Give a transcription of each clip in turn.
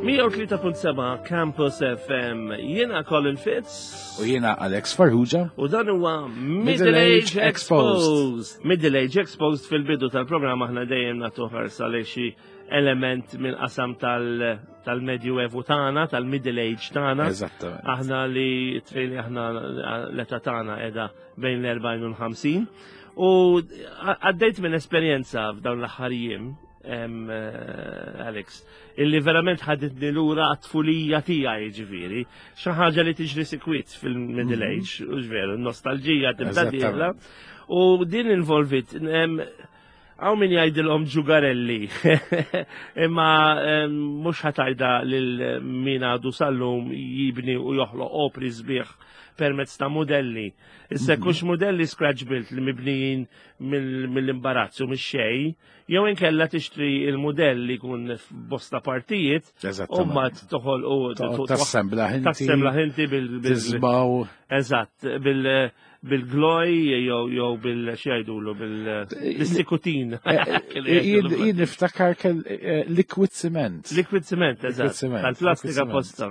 103.7 Campus FM. Jiena Colin Fitz. U jiena Alex Farrugia. U dan huwa Middle Age Exposed. Middle Age Exposed fil-bidu tal-programma aħna dejjem nagħtu ħarsa lejn xi element mill-qasam tal-Medju Evu tagħna, tal-Middle Age tagħna. Eżattament. Aħna li trejli aħna l-età tagħna qiegħda bejn l-40 u l-50. U għaddejt minn esperjenza f'dawn l-aħħar jiem Eh, Alex, illi verament ħaditni lura għat-tfulija tiegħi ġifieri, xi ħaġa li tiġri sikwit fil-middle mhm. age, u veru, nostalġija tibda dieħla. U din involvit għaw min jgħidilhom ġugarelli, imma mhux ħatajda lil min għadu sallum jibni u joħloq opri sbieħ permezz ta' modelli. Issa mhm. kux modelli scratch built li mibnijin mill-imbarazzu, mix-xej, Jew inkella tixtri il-mudell li jkun f'bosta partijiet u mbagħad toħol u tassembla ħinti. Tassembla ħinti bil Tisbaw. Eżatt, bil bil-gloj jew jew bil xi jgħidulu bil-sikutin. Eh, eh, jien niftakar kell eh, liquid cement. Liquid cement, eżatt. Tal-plastika posta.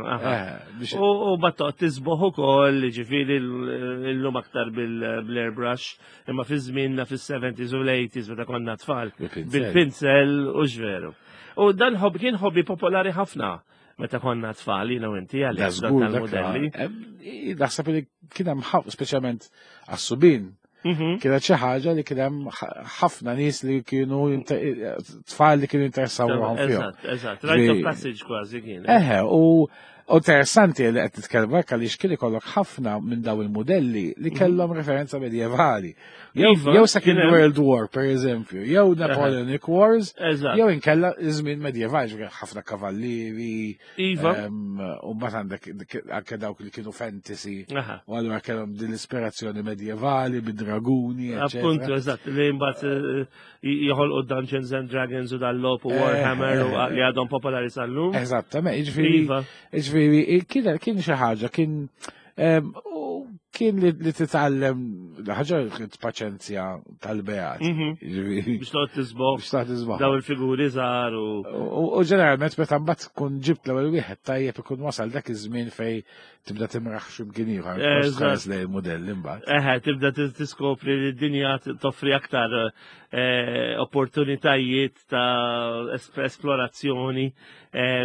U bat tisboħ ukoll, ġifieri l-lum aktar bil-airbrush. Imma fi żmienna fis-70s u l-80s meta konna tfal bil-pinsel u x'veru. U dan hobby kien hobby popolari ħafna meta konna tfal jiena u inti għalhekk dan tal-modelli. Naħseb li kien hemm speċjalment għas-subin mhm. kienet xi ħaġa li kien hemm ħafna nies li kienu tfal li kienu interessaw ruħhom fihom. Eżatt, eżatt, rite of passage kważi kien. Eħe, u U interessanti li qed titkellem hekk għaliex kien ikollok ħafna minn daw il-modelli li mhm. kellhom referenza medjevali. Jew iva, Second World War, per eżempju, jew Napoleonic Wars, jew inkella iż-żmien medjevali, ħafna kavallieri. Iva. U mbagħad għandek anke dawk li kienu fantasy. U allura kellhom din l-ispirazzjoni medjevali bid-draguni. Appuntu, eżatt, li mbagħad eh, joħolqu Dungeons and Dragons u dal-lop u Warhammer u li għadhom popolari sal-lum. Eżattament, jiġifieri iva. jiġifieri kien kien xi ħaġa kien kien li titgħallem ħaġa kien paċenzja tal-beat. Mhm. Biex toqgħod tisboħ. Biex toqgħod tisboħ. Daw il-figuri żgħar u. U ġeneralment meta mbagħad tkun ġibt l-ewwel wieħed tajjeb ikun wasal dak iż-żmien fej tibda timraħ x'imkien ieħor, tħares lejn il-mudell imbagħad. Eħe, tibda tiskopri li d-dinja toffri aktar eh, opportunitajiet ta' esplorazzjoni eh,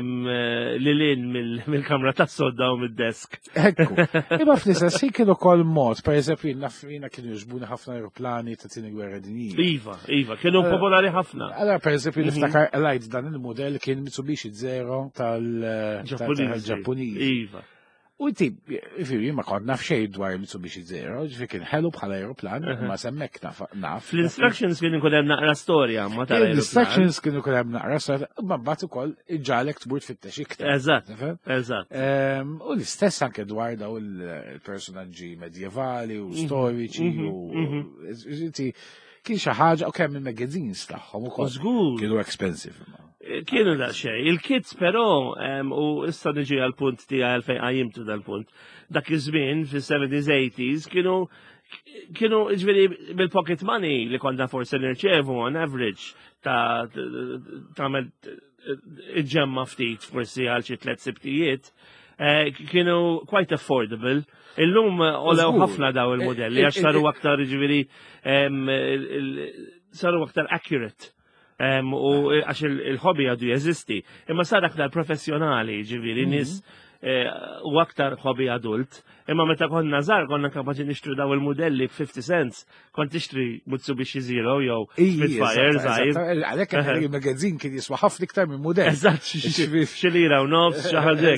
li lin mill-kamra tas sodda u mid-desk. Ekku. Imma fl-istess ħin kienu kol mod, per eżempju, jiena kienu jogħġbuni ħafna aeroplani ta' tieni gwerra dinjija. Iva, iva, kienu eh, popolari ħafna. Allora, per eżempju, mhm. niftakar lajt dan il-modell kien Mitsubishi Zero tal-Ġappuniż. Iva. U inti, ġifieri, ma kont naf xejn dwar Mitsubishi Zero, ġifieri kien ħelu bħala aeroplan, ma semmek naf. Fl-instructions kien ikun hemm naqra storja, ma tal L-instructions kien ikun hemm naqra storja, ma mbagħad ukoll iġalek tmur tfittex iktar. Eżatt, eżatt. Ehm, u l-istess anke dwar daw il-personaġġi medjevali u mhm, storiċi mhm, u mhm. inti kien xi ħaġa u kemm il-magazines tagħhom ukoll. Żgur. Kienu expensive. Kienu da xej. Il-kids però, u issa niġi għal-punt tiegħi għalfejn qajjimtu dal-punt, dak iż-żmien fis-70s 80s kienu kienu ġifieri bil-pocket money li konna forsi nirċevu on average ta' tagħmel iġġemma ftit forsi għal xi tliet sibtijiet, eh, kienu quite affordable. Illum olew ħafna daw il-modelli għax saru aktar ġifieri saru aktar accurate. U għax il-hobby għadu jeżisti. Imma sar aktar professjonali, ġiviri, mhm. nis eh, u aktar hobby adult. Imma meta konna żgħar konna kapaċi nixtru daw il-modelli b'50 cents, kont tixtri Mitsubishi Zero jew Spitfire żgħir. Għalhekk il-magazin kien jiswa ħafna iktar minn mudell. Eżatt, xi lira u nofs, xi ħaġa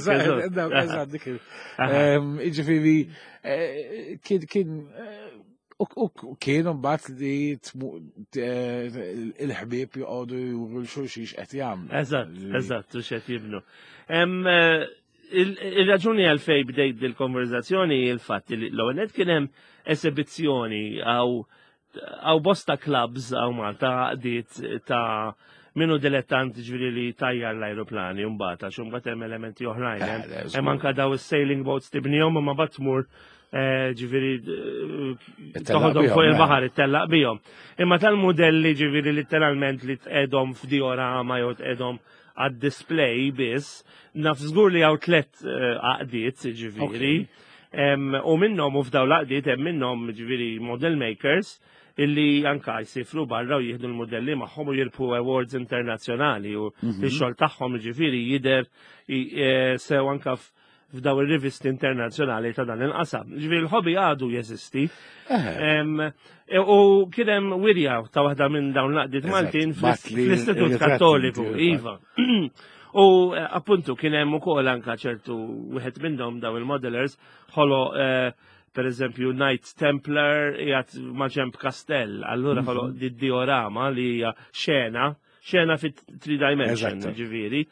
Eżatt, dik. Jiġifieri eh, kien kien eh, U kienu mbagħad li il-ħbieb joqogħdu juru l-xulxin x'qed jagħmlu. Eżatt, eżatt, u x'qed jibnu. Eh, il-raġuni għalfej bdejt dil-konverzazzjoni il-fatt li l-ewwel kien hemm esibizzjoni għaw għaw bosta clubs għaw Malta għaqdiet ta' minu dilettant ġviri li tajjar l-aeroplani mbagħad għax imbagħad hemm elementi oħrajn. Eh, hemm anka daw is-sailing boats tibnihom imma mbagħad tmur. Ġifieri toħodhom fuq il-baħar ittellaq bihom. Imma tal-modelli ġifieri letteralment li tqedhom f'diorama jew tqedhom għad-display biss, naf żgur li hawn tlet għaqdiet ġifieri. U minnhom u f'daw l-għaqdiet hemm minnhom ġifieri model makers illi anka jsifru barra u jieħdu l-modelli magħhom u jirbħu awards internazzjonali u x-xogħol tagħhom ġifieri jidher sew anka f'daw ir-rivisti internazzjonali ta' dan il-qasam. Ġifieri l-hobby għadu jeżisti. U kien hemm wirja ta' waħda minn dawn l-għaqdiet Maltin fl-Istitut Kattoliku, iva. U appuntu kien hemm ukoll anka ċertu wieħed minnhom daw il-modelers ħolo per eżempju Knight Templar qiegħed ma' ġemb kastell, allura ħolo di diorama li hija xena xena fit three dimension, ġifieri.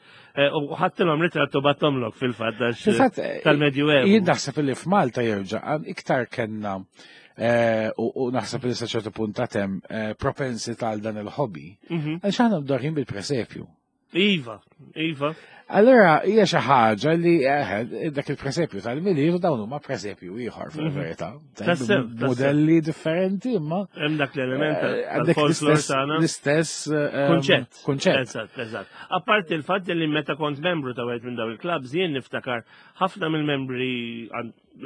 U ħadtilhom ritrattu battomlok fil-fatt Fil-fatt, tal-Medjuevu. Jien naħseb li f'Malta jerġa' iktar kellna u naħseb li sa ċertu punt ta' tem propensità għal dan il-hobby. Għaliex aħna mdorrin bil-presepju. Iva, iva. Allora, hija xi ħaġa li dak il-presepju tal-Milied u dawn huma presepju ieħor fil-verità. Modelli differenti imma. Hemm dak l-element tal-folklor tagħna. L-istess kunċett. Kunċett. Eżatt, eżatt. Apparti il-fatt li meta kont membru ta' wieħed minn dawn il-clubs jien niftakar ħafna mill-membri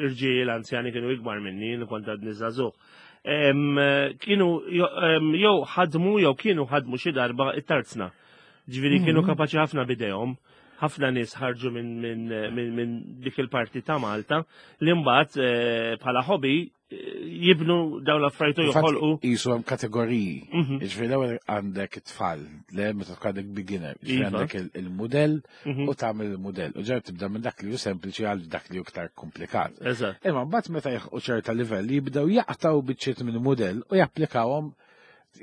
irġiel anzjani kienu ikbar minni, jien kont għadni żagħżugħ. Kienu jew ħadmu jew kienu ħadmu xi darba it-tarzna. Ġifieri kienu kapaċi ħafna bidejhom, ħafna nies ħarġu minn dik il-parti ta' Malta li mbagħad bħala hobby jibnu dawn l-affarijiet u joħolqu. Qisu hemm kategoriji. Ġifieri l-ewwel għandek it-tfal, le meta tkun għandek beginner, ġifieri għandek il-mudell u tagħmel il-mudell. U ġew tibda minn dak li hu sempliċi għal dak li hu iktar komplikat. Imma mbagħad meta jilħqu ċerta livell jibdew jaqtgħu biċċiet minn mudell u japplikawhom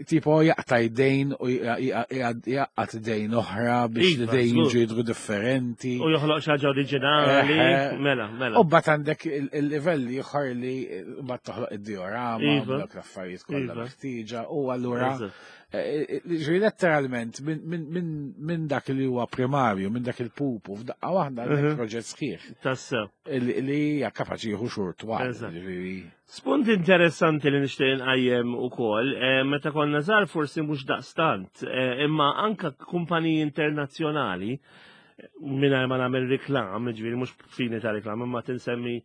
tipo jaqta' jdejn u jaqgħad idejn oħra biex l-idejn jiġu jidhru differenti. U joħloq xi ħaġa oriġinali, mela, mela. U mbagħad għandek il-livell ieħor li mbagħad toħloq id-diorama, dawk l-affarijiet kollha meħtieġa u allura ġifieri letteralment minn dak li huwa primarju, minn dak il-pupu, f'daqqa waħda għandek proġett sħiħ. Tassew. Li hija kapaċi jieħu xhur twal. Ġifieri. Spunt interessanti li nixtieq inqajjem ukoll, meta konna żgħar forsi mhux daqstant, imma anka kumpaniji internazzjonali, mingħajr ma nagħmel reklam, ġifieri mhux fini ta' reklam, imma tinsemmi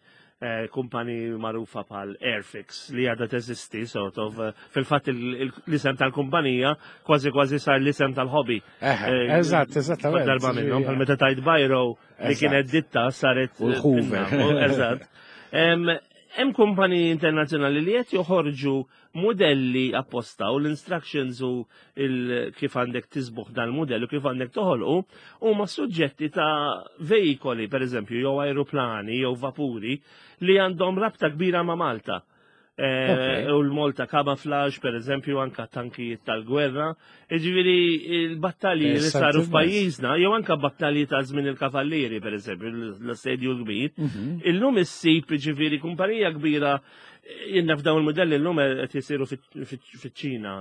kumpaniji magħrufa bħal Airfix li għadha teżisti, sort of, fil-fatt l-isem tal-kumpanija kważi kważi sar l-isem tal-hobby. Eżatt, eżattament. Darba minnhom, bħal meta tajt Bajro li kienet ditta saret U l-Hoover. Eżatt. Hemm kumpaniji internazzjonali li qed joħorġu modelli apposta u l-instructions u kif għandek tisbuħ dal-modell u kif għandek toħolqu huma suġġetti ta' veikoli, per eżempju, jew aeroplani jew vapuri li għandhom rabta kbira ma' Malta. U l-Malta Camouflage, per eżempju, anka tankijiet tal-gwerra. Ġifieri il-battalji li saru f'pajjiżna, jew anka battalji ta' żmien il-Kavallieri, per eżempju, l-assedju l-kbir. Illum issib, ġifieri, kumpanija kbira, jinnna f'dawn il-modelli llum qed jisiru fiċ-Ċina,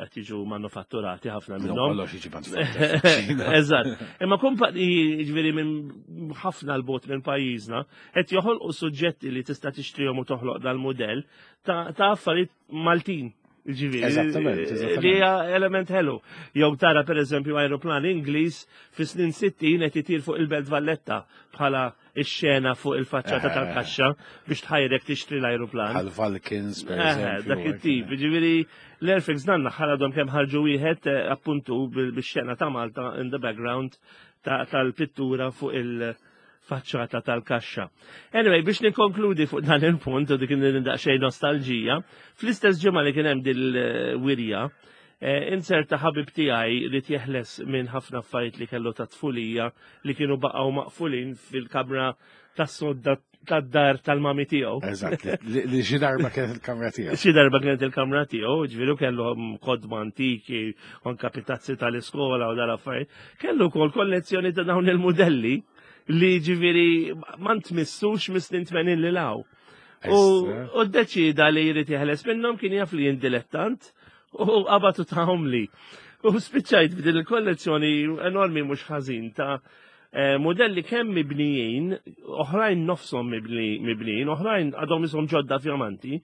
qed jiġu manufatturati ħafna minnhom. Kollox jiġi manufatturat fiċ-Ċina. Eżatt. Imma kumpaniji, ġifieri, minn ħafna l-bot minn pajjiżna, qed joħolqu suġġetti li tista' tixtrihom u toħloq dal-mudell ta' affarijiet Maltin. Ġifieri, Eżattament. Li hija element ħelu. Jew tara per eżempju aeroplan Ingliż fi snin 60 qed itir fuq il-Belt Valletta bħala x-xena fuq il-faċċata tal-kaxxa biex tħajrek tixtri l-aeroplan. Bħal Vulcans, per eżempju. Dak it-tip. Ġifieri l-Airfix dan l-aħħar għadhom kemm ħarġu wieħed appuntu bix-xena ta' Malta in the background tal-pittura fuq il-faċċata tal-kaxxa. Anyway, biex nikkonkludi fuq dan il-punt u dik daqsxejn nostalġija, fl-istess ġimgħa li kien hemm dil-wirja, inserta ħabib tiegħi li jeħles minn ħafna affarijiet li kellu ta' tfulija li kienu baqgħu maqfulin fil-kamra tas-sodda tad-dar tal-mami tiegħu. Eżatt, li xi darba kienet il-kamra tiegħu. Xi darba kienet il-kamra tiegħu, ġifieri kellu kodma antiki, anka pitazzi tal-iskola u dal-affarijiet. Kellu wkoll kollezzjoni ta' dawn il-mudelli li ġifieri ma ntmissux mis-snin 80 li law. U ddeċida li jrid jeħles minnhom, kien jaf li jien dilettant u qabatu tahom li. U spiċċajt b'din il-kollezzjoni enormi mhux ħażin ta' Modelli kemm mibnijin, oħrajn nofshom mibnijin, oħrajn għadhom ishom ġodda fjamanti,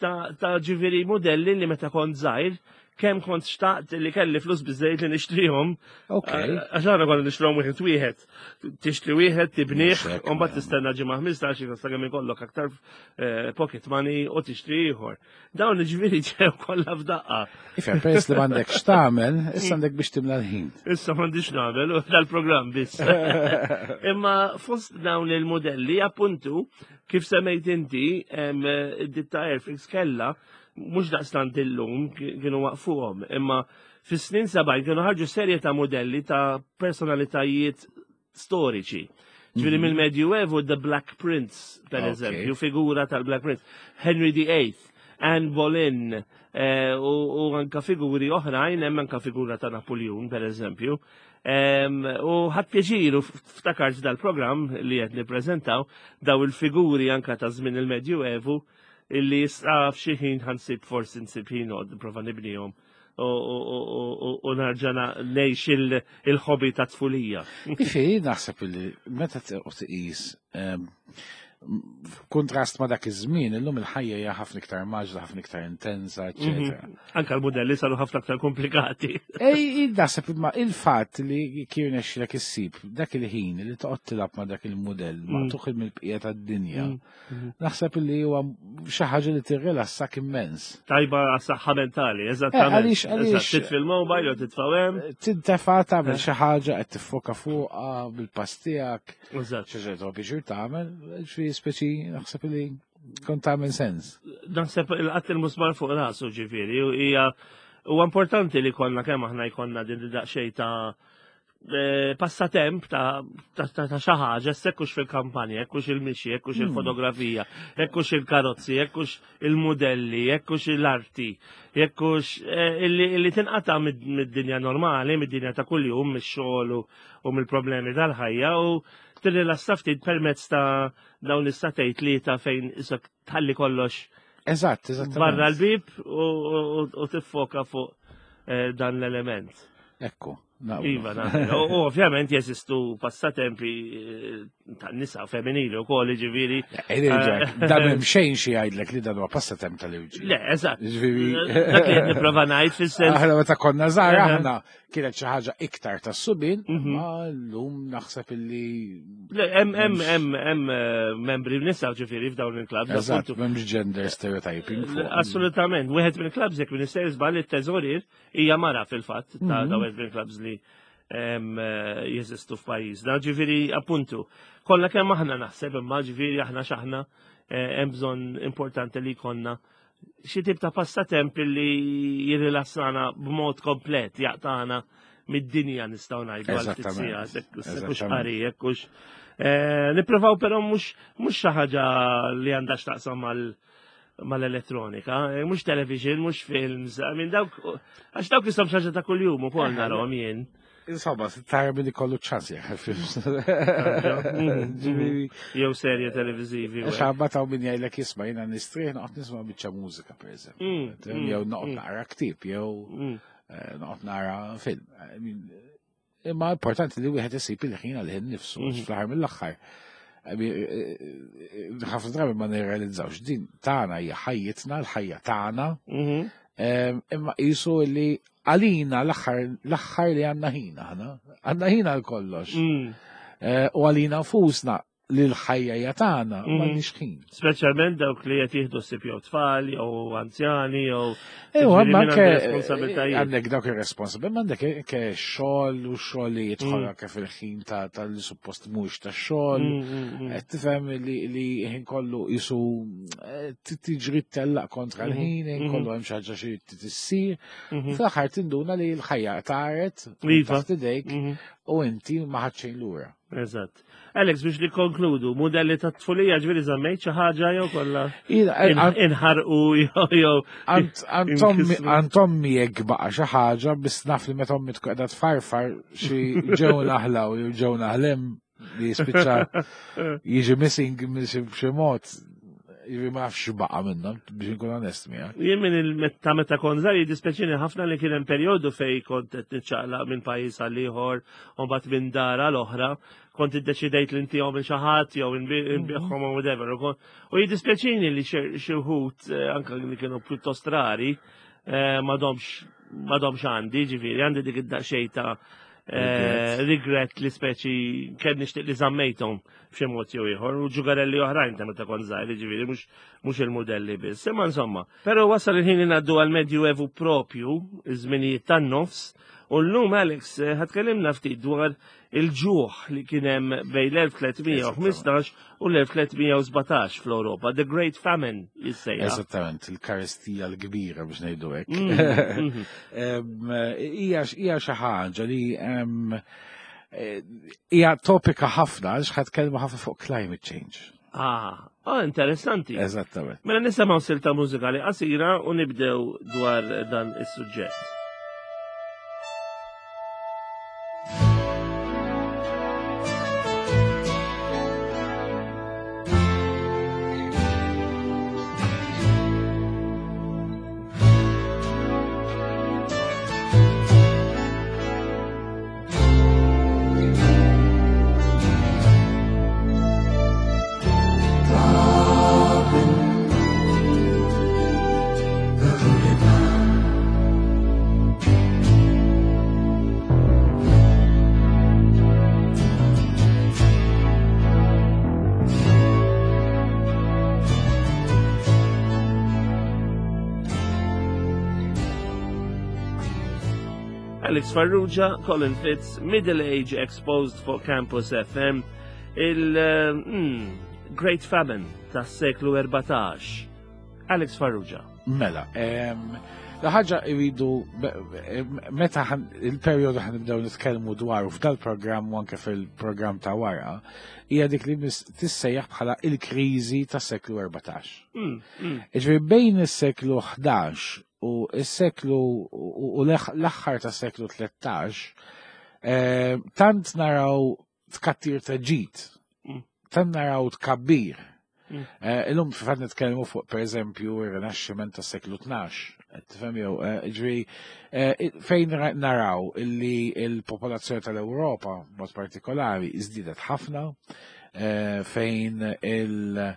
ta' ġifieri modelli li meta kont żgħir kemm kont xtaqt li kelli flus biżejjed li nixtrihom. Għax aħna konna nixtrihom wieħed wieħed. Tixtri wieħed, tibnih, u mbagħad tistenna ġimgħa 15 sa kemm ikollok aktar pocket money u tixtri ieħor. Dawn ġifieri ġew kollha f'daqqa. Ifhem, peress li m'għandek x'tagħmel, issa għandek biex timla l-ħin. Issa m'għandix nagħmel u dal-programm biss. Imma fost dawn il-modelli appuntu kif semmejt inti id-ditta Airfix kellha mhux daqstant illum kienu waqfuhom, imma fis-snin 70 kienu ħarġu serje ta' modelli ta' personalitajiet storiċi. Ġifieri mill-Medjuevu The Black Prince, per eżempju, figura tal-Black Prince, Henry the Eighth, Anne Boleyn, u anka figuri oħrajn, hemm anka figura ta' Napoleon, per eżempju. U ħadd pjaċir u ftakart dal-programm li qed nippreżentaw daw il-figuri anka ta' żmien il-Medjuevu illi issa f'xi ħin ħansib forsi nsib ħin noqgħod nipprova nibnihom u narġa' ngħix il-hobby ta' tfulija. Ġifieri naħseb li meta tqis kontrast ma' dak iż-żmien, illum il-ħajja hija ħafna iktar maġla, ħafna iktar intensa, eċetera. Anka l-modelli saru ħafna aktar komplikati. Ej, naħseb imma il-fatt li kien nexxilek issib dak il-ħin li toqgħod tilgħab ma' dak il-mudell maqtugħ mill-bqija tad-dinja. Naħseb li huwa xi ħaġa li tirrilassak immens. Tajba għas-saħħa mentali, eżattament. Għaliex Titfi l-mobile jew titfa' hemm. Tintefa' tagħmel xi ħaġa qed tiffoka fuqha bil-pass tiegħek. Eżatt. Xi ħaġa tobbi xi tagħmel, ġifieri speċi naħseb li kont tagħmel sens. Naħseb il-qatt il-musmar fuq rasu ġifieri hija huwa importanti li konna kemm aħna jkollna din daqsxejn ta' passatemp ta' xi ħaġa, sekkux fil-kampanja, jekkux il-mixi, jekkux il-fotografija, jekkux il-karozzi, jekkux il-modelli, jekkux l-arti, jekkux illi tinqata' mid-dinja normali, mid-dinja ta' kuljum, mix-xogħol u mill-problemi tal-ħajja u tirrilassa ftit permezz ta' dawn is-satejt li ta' fejn isek tħalli kollox Eżatt, eżattament. barra l-bib u tiffoka fuq dan l-element. Ekku. Iva, naqbel. U ovvjament jeżistu passatempi ta' nisa femminili u koll, ġifieri. Dan hemm xejn xi jgħidlek li dan huwa passatemp tal-irġiel. Le, eżatt. Ġifieri. Dak li qed nipprova ngħid fis-sens. Aħna meta konna żgħar aħna kienet xi ħaġa iktar tas-subien, ma llum naħseb illi Le, hemm membri nisa ġifieri f'dawn il-klabs. Eżatt, m'hemmx gender stereotyping fuq. Assolutament, wieħed mill-klabs jekk minn istess żball it-teżorier hija mara fil-fatt ta' dawn il-klabs li jeżistu f'pajjiżna. Ġifieri appuntu, kollha kemm aħna naħseb imma ġifieri aħna x'aħna hemm bżonn importanti li jkollna xi tip ta' passatemp li jirrilassana b'mod komplet, jaqtana mid-dinja nistgħu ngħidu għal ftit sigħat, jekk hux qari, jekk hux. Nippruvaw però mhux xi ħaġa li għandha x'taqsam mal-elettronika, mhux television, mhux films, I mean dawk, għax dawk jisom xi ħaġa ta' kuljum ukoll narahom jien. Insomma, tara billi kollu ċans jaħ films. Jew serje televizivi. Għax għabba ta' min jgħidlek jisma' jiena nistrieħ noqgħod nisma' biċċa mużika pereżempju. Jew noqgħod naqra ktieb, jew noqgħod nara film. Imma importanti li wieħed isib il-ħin għal ħin nifsu, fl-aħħar mill-aħħar. Ħafna drabi ma nirrealizzawx din tagħna hija ħajjitna, l-ħajja tagħna. Imma qisu li għalina l-aħħar li għandna ħin aħna, għandna ħin għal kollox. U għalina nfusna li l-ħajja hija tagħna m'għandniex ħin. Speċjalment dawk li qed jieħdu ssib jew tfal jew anzjani jew Ew, ġifieri ma min anke għandu responsabilitajiet. Għandek dawk ir-responsabilitajiet, ma għandek anke xogħol u xogħol li jidħol anke fil-ħin tal-suppost mhux tax-xogħol. Qed tifhem li ħin kollu qisu tiġri tellaq kontra l-ħin, ħin kollu hemm xi ħaġa xi tissir. Fl-aħħar tinduna li l-ħajja taret taħt idejk u inti ma ħadd xejn lura. Eżatt. Alex, biex li konkludu, modelli ta' tfulija ġifieri żammejt xi ħaġa jew kollha inħarqu jew Għand ommi jekk baqa' xi ħaġa, biss naf li meta ommi tkun qiegħda tfarfar xi ġew naħlaw jew ġew naħlem li jispiċċa jiġi missing b'xi mod. Jiġifieri ma nafx baqa' minnhom biex inkun onest miegħek. Jien minn il-meta meta kont żgħir jiddispjaċini ħafna li kien hemm perjodu fejn kont qed niċċaqlaq minn pajjiż għal ieħor u mbagħad minn dar għal oħra, kont iddeċidejt li ntihom il xi ħadd jew nbiegħhom u whatever. U jiddispjaċini li xi wħud eh, anke li kienu pjuttost rari eh, m'għadhomx għandi, ġifieri għandi dik id-daqsxejn ta' eh, regret li speċi kemm nixtieq li żammejthom b'xi mod jew ieħor u ġugarelli oħrajn ta' meta kont żgħir, jiġifieri mhux il-mudelli biss. Imma insomma, però wasal il-ħin li ngħaddu għal Medju Evu propju, iż-żminijiet tan-nofs, u llum Alex eh, ħatkellimna ftit dwar il-ġuħ li kien hemm bejn l-1315 u l-1317 fl-Ewropa, The Great Famine jissejjaħ. Eżattament, il-karestija l-kbira biex ngħidu hekk. Hija xi ħaġa li Eh, hija topika ħafna għax ħadd kelma ħafna fuq climate change. Ah, oh, interessanti. Eżattament. Mela nisimgħu silta mużikali qasira u nibdew dwar dan is-suġġett. Alex Farrugia, Colin Fitz, Middle Age Exposed for Campus FM, il-Great mm, Famine tas seklu 14. Alex Farrugia. Mela, la ħaġa jridu meta il-perjodu ħan nibdew nitkellmu dwaru f'dal-programm u anke fil-programm ta' wara, hija dik li tissejjaħ bħala il-kriżi tas-seklu 14. Iġifieri bejn is-seklu 11 u s-seklu u l-aħħar tas seklu 13 eh, tant naraw tkattir ta' ġid, tant naraw tkabbir. Eh, illum fil-fatt nitkellmu fuq pereżempju ir-Rinaxximent tas seklu 12, tifhem jew eh, ġri fejn naraw illi il-popolazzjoni tal-Ewropa mod partikolari iżdiedet ħafna fejn il-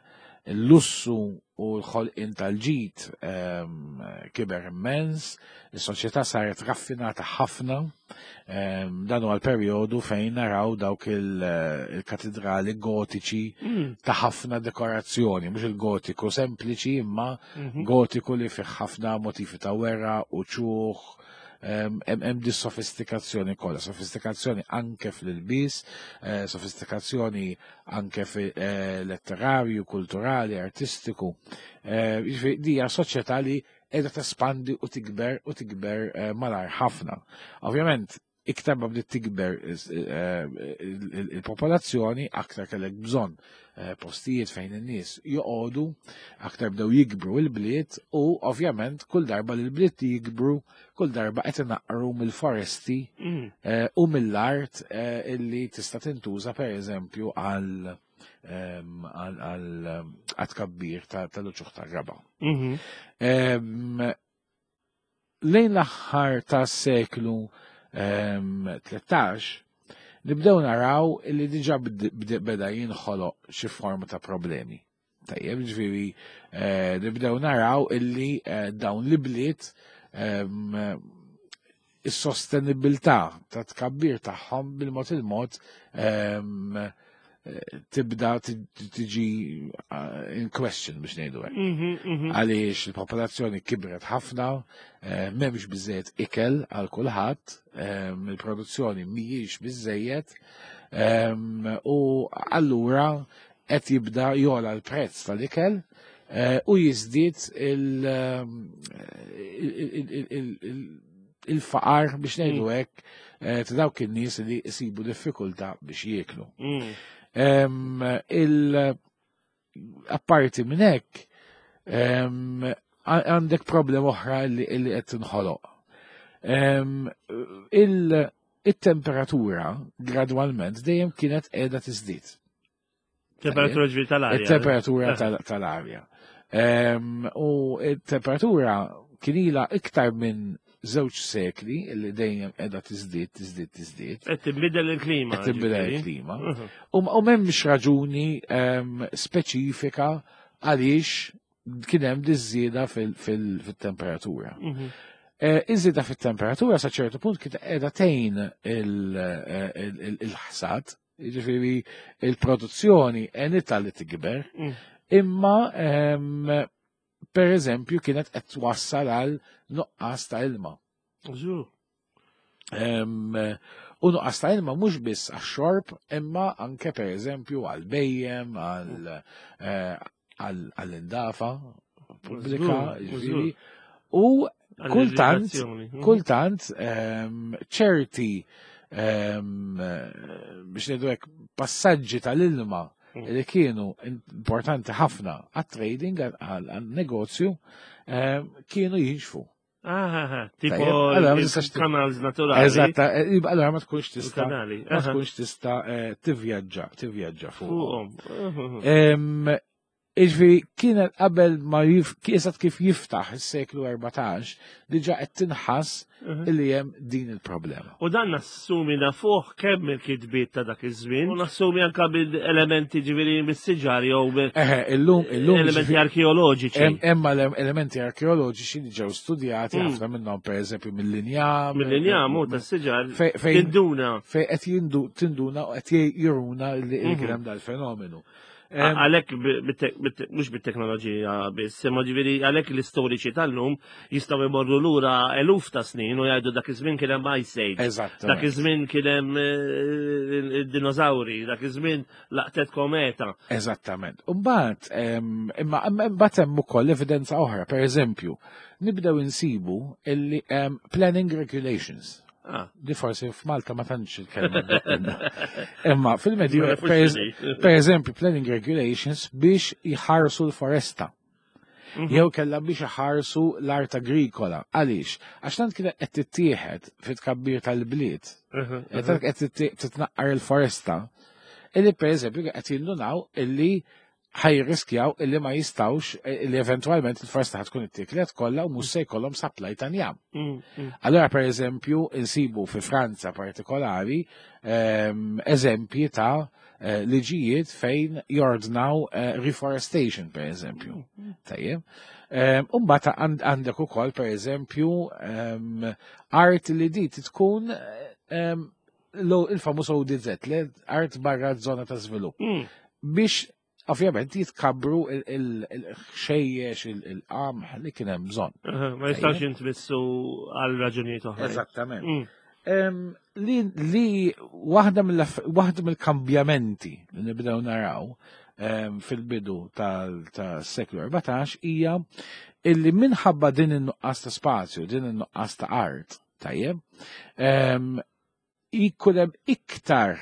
Il-lussu u l-ħolqien tal-ġid ehm, kiber immens, is-soċjetà saret raffinata ħafna, ehm, dan huwa l-perjodu fejn naraw dawk il-katedrali gotiċi ta' ħafna dekorazzjoni, mhux il-gotiku sempliċi imma mhm. gotiku li fih ħafna motifi ta' werra u ċuħ, ehm, hemm di sofistikazzjoni kollha, sofistikazzjoni anke fl-ilbis, eh, sofistikazzjoni anke fi eh, letterarju, kulturali, artistiku. Eh, jiġifieri dija soċjetà li qiegħda tespandi u tikber u tikber eh, malar ħafna. Ovvjament, iktar ma bdiet tikber il-popolazzjoni, aktar kellek bżonn postijiet fejn in-nies joqogħdu, aktar bdew jikbru il-bliet u ovvjament kull darba li l-bliet jikbru kull darba qed inaqqru mill-foresti mm. eh, u mill-art eh, illi tista' tintuża pereżempju għal ehm, għal tkabbir tal-uċuħ tar-raba. Mhm. Ehm, lejn l-aħħar tas seklu 13 ehm, nibdew naraw illi diġà beda jinħoloq xi forma ta' problemi. Tajjeb, ġifieri eh, nibdew naraw illi eh, dawn li bliet ehm, is-sostenibilità ta' tkabbir tagħhom bil-mod il-mod ehm, eh, tibda tiġi in question biex ngħidu hekk. Mhm, mhm. Għaliex il-popolazzjoni kibret ħafna, m'hemmx biżejjed ikel għal kulħadd, ehm, il-produzzjoni mhijiex biżejjed u allura qed jibda jola l-prezz tal-ikel eh, u jiżdied il-faqar biex ngħidu mm. hekk eh, ta' dawk in-nies li jsibu diffikultà biex jieklu. Mm. Il apparti minn hekk għandek problema oħra li qed tinħoloq. Il-temperatura gradwalment dejjem kienet qiegħda tiżdied. Temperatura ġifieri tal-arja. Il-temperatura tal-arja. U il-temperatura kien ilha iktar minn żewġ sekli li dejjem qiegħda tiżdied, tiżdied, tiżdied. Qed tinbidel il-klima. Qed tinbidel il-klima. U m'hemmx raġuni speċifika għaliex kien hemm diż-żieda fil-temperatura. Iż-żieda fit-temperatura sa ċertu punt kien qiegħda tgħin il-ħsad, jiġifieri il-produzzjoni għenitha li tikber, imma per eżempju kienet qed twassal għal nuqqas ta' ilma. U nuqqas ta' ilma mhux biss għax-xorb, imma anke per eżempju għal bejjem, għall-indafa pubblika, jiġifieri. U kultant, kultant ċerti biex ngħidu hekk passaġġi tal-ilma li kienu importanti ħafna għat-trading, għal-negozju, kienu jinxfu. Tipo kanals naturali. Eżatt, allora ma tkunx tista' ma tkunx tista' tivvjaġġa, tivvjaġġa fuqhom. Iġvi kienet qabel ma eżatt kif jiftaħ is-seklu 14, diġà qed tinħass illi hemm din il-problema. U dan nassumi nafuh kemm il-kitbiet ta' dak iż-żmien, u nassumi anke bil-elementi ġifieri mis-siġar jew Eħe, illum illum elementi arkeoloġiċi. Hemm elementi arkeoloġiċi li ġew studjati ħafna minnhom pereżempju mill-injam. Mill-injam u tas-siġar tinduna. Fejn qed tinduna u qed juruna li kien hemm dal-fenomenu. Għalhekk mhux bit-teknoloġija biss, imma ġifieri għalhekk l-istoriċi tal-lum jistgħu jmorru lura eluf ta' snin u jgħidu dak iż-żmien kien hemm Ice Age. Dak iż-żmien kien hemm dinożawri, dak iż-żmien laqtet kometa. Eżattament. Imbagħad imma mbagħad hemm ukoll evidenza oħra, pereżempju, nibdew insibu illi hemm planning regulations. Di forsi f'Malta ma tantx il-kelma. Imma fil-medju, per eżempju, planning regulations biex jħarsu l-foresta. Jew kella biex iħarsu l-art agrikola. Għaliex? Għax tant kienet qed tittieħed fit-tkabbir tal-bliet, qed qed titnaqqar il-foresta, illi per eżempju qed jindunaw illi ħajriskjaw illi ma jistawx illi eventualment il-foresta ħatkun ittiklet kollha u mhux se jkollhom supply ta' njam. Allora per eżempju insibu fi Franza partikolari eżempji ta' liġijiet fejn jordnaw reforestation per eżempju. Tajjeb. Umbagħad għandek ukoll per eżempju art li di tkun il-famuż ODZ, art barra zona ta' żvilupp. Biex ovvjament jitkabru il-ħxejjex, il-qamħ li kien hemm bżonn. Ma jistax jintmissu għal raġunijiet oħra. Eżattament. Li waħda mill-kambjamenti li nibdew naraw fil-bidu tas-seklu 14 hija illi minħabba din in-nuqqas ta' spazju, din in-nuqqas ta' art, tajjeb, jkun hemm iktar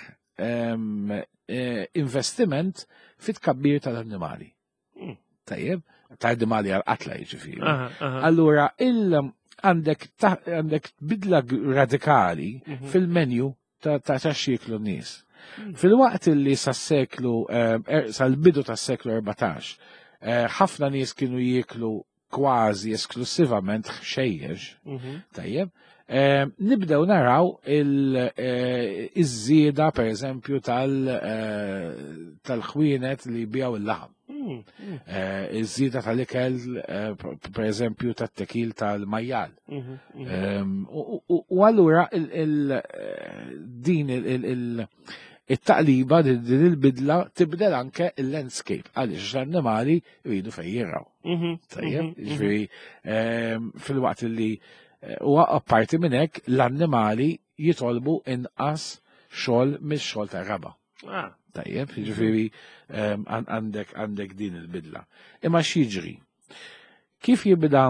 investiment fit-tkabbir tal-annimali. Tajjeb, ta' annimali għal-qatla jiġifieri. Allura, għandek bidla radikali fil-menu ta' x'jieklu n-nies. Fil-waqt li sas-seklu, sal-bidu tas-seklu 14, ħafna nies kienu jieklu kważi esklusivament ħxejjex, tajjeb, nibdew naraw iż-żieda per eżempju tal-ħwienet li jbiegħu il-laħam. Iż-żieda tal-ikel per eżempju tat-tekil tal-majjal. U allura din it-taqliba, din il-bidla tibdel anke il-landscape għaliex l-annimali jridu fejn jirgħu. Tajjeb, jiġifieri fil-waqt li u apparti minn hekk l-annimali jitolbu inqas xogħol mix-xogħol tar-raba. Tajjeb, jiġifieri għandek din il-bidla. Imma x'jiġri? Kif jibda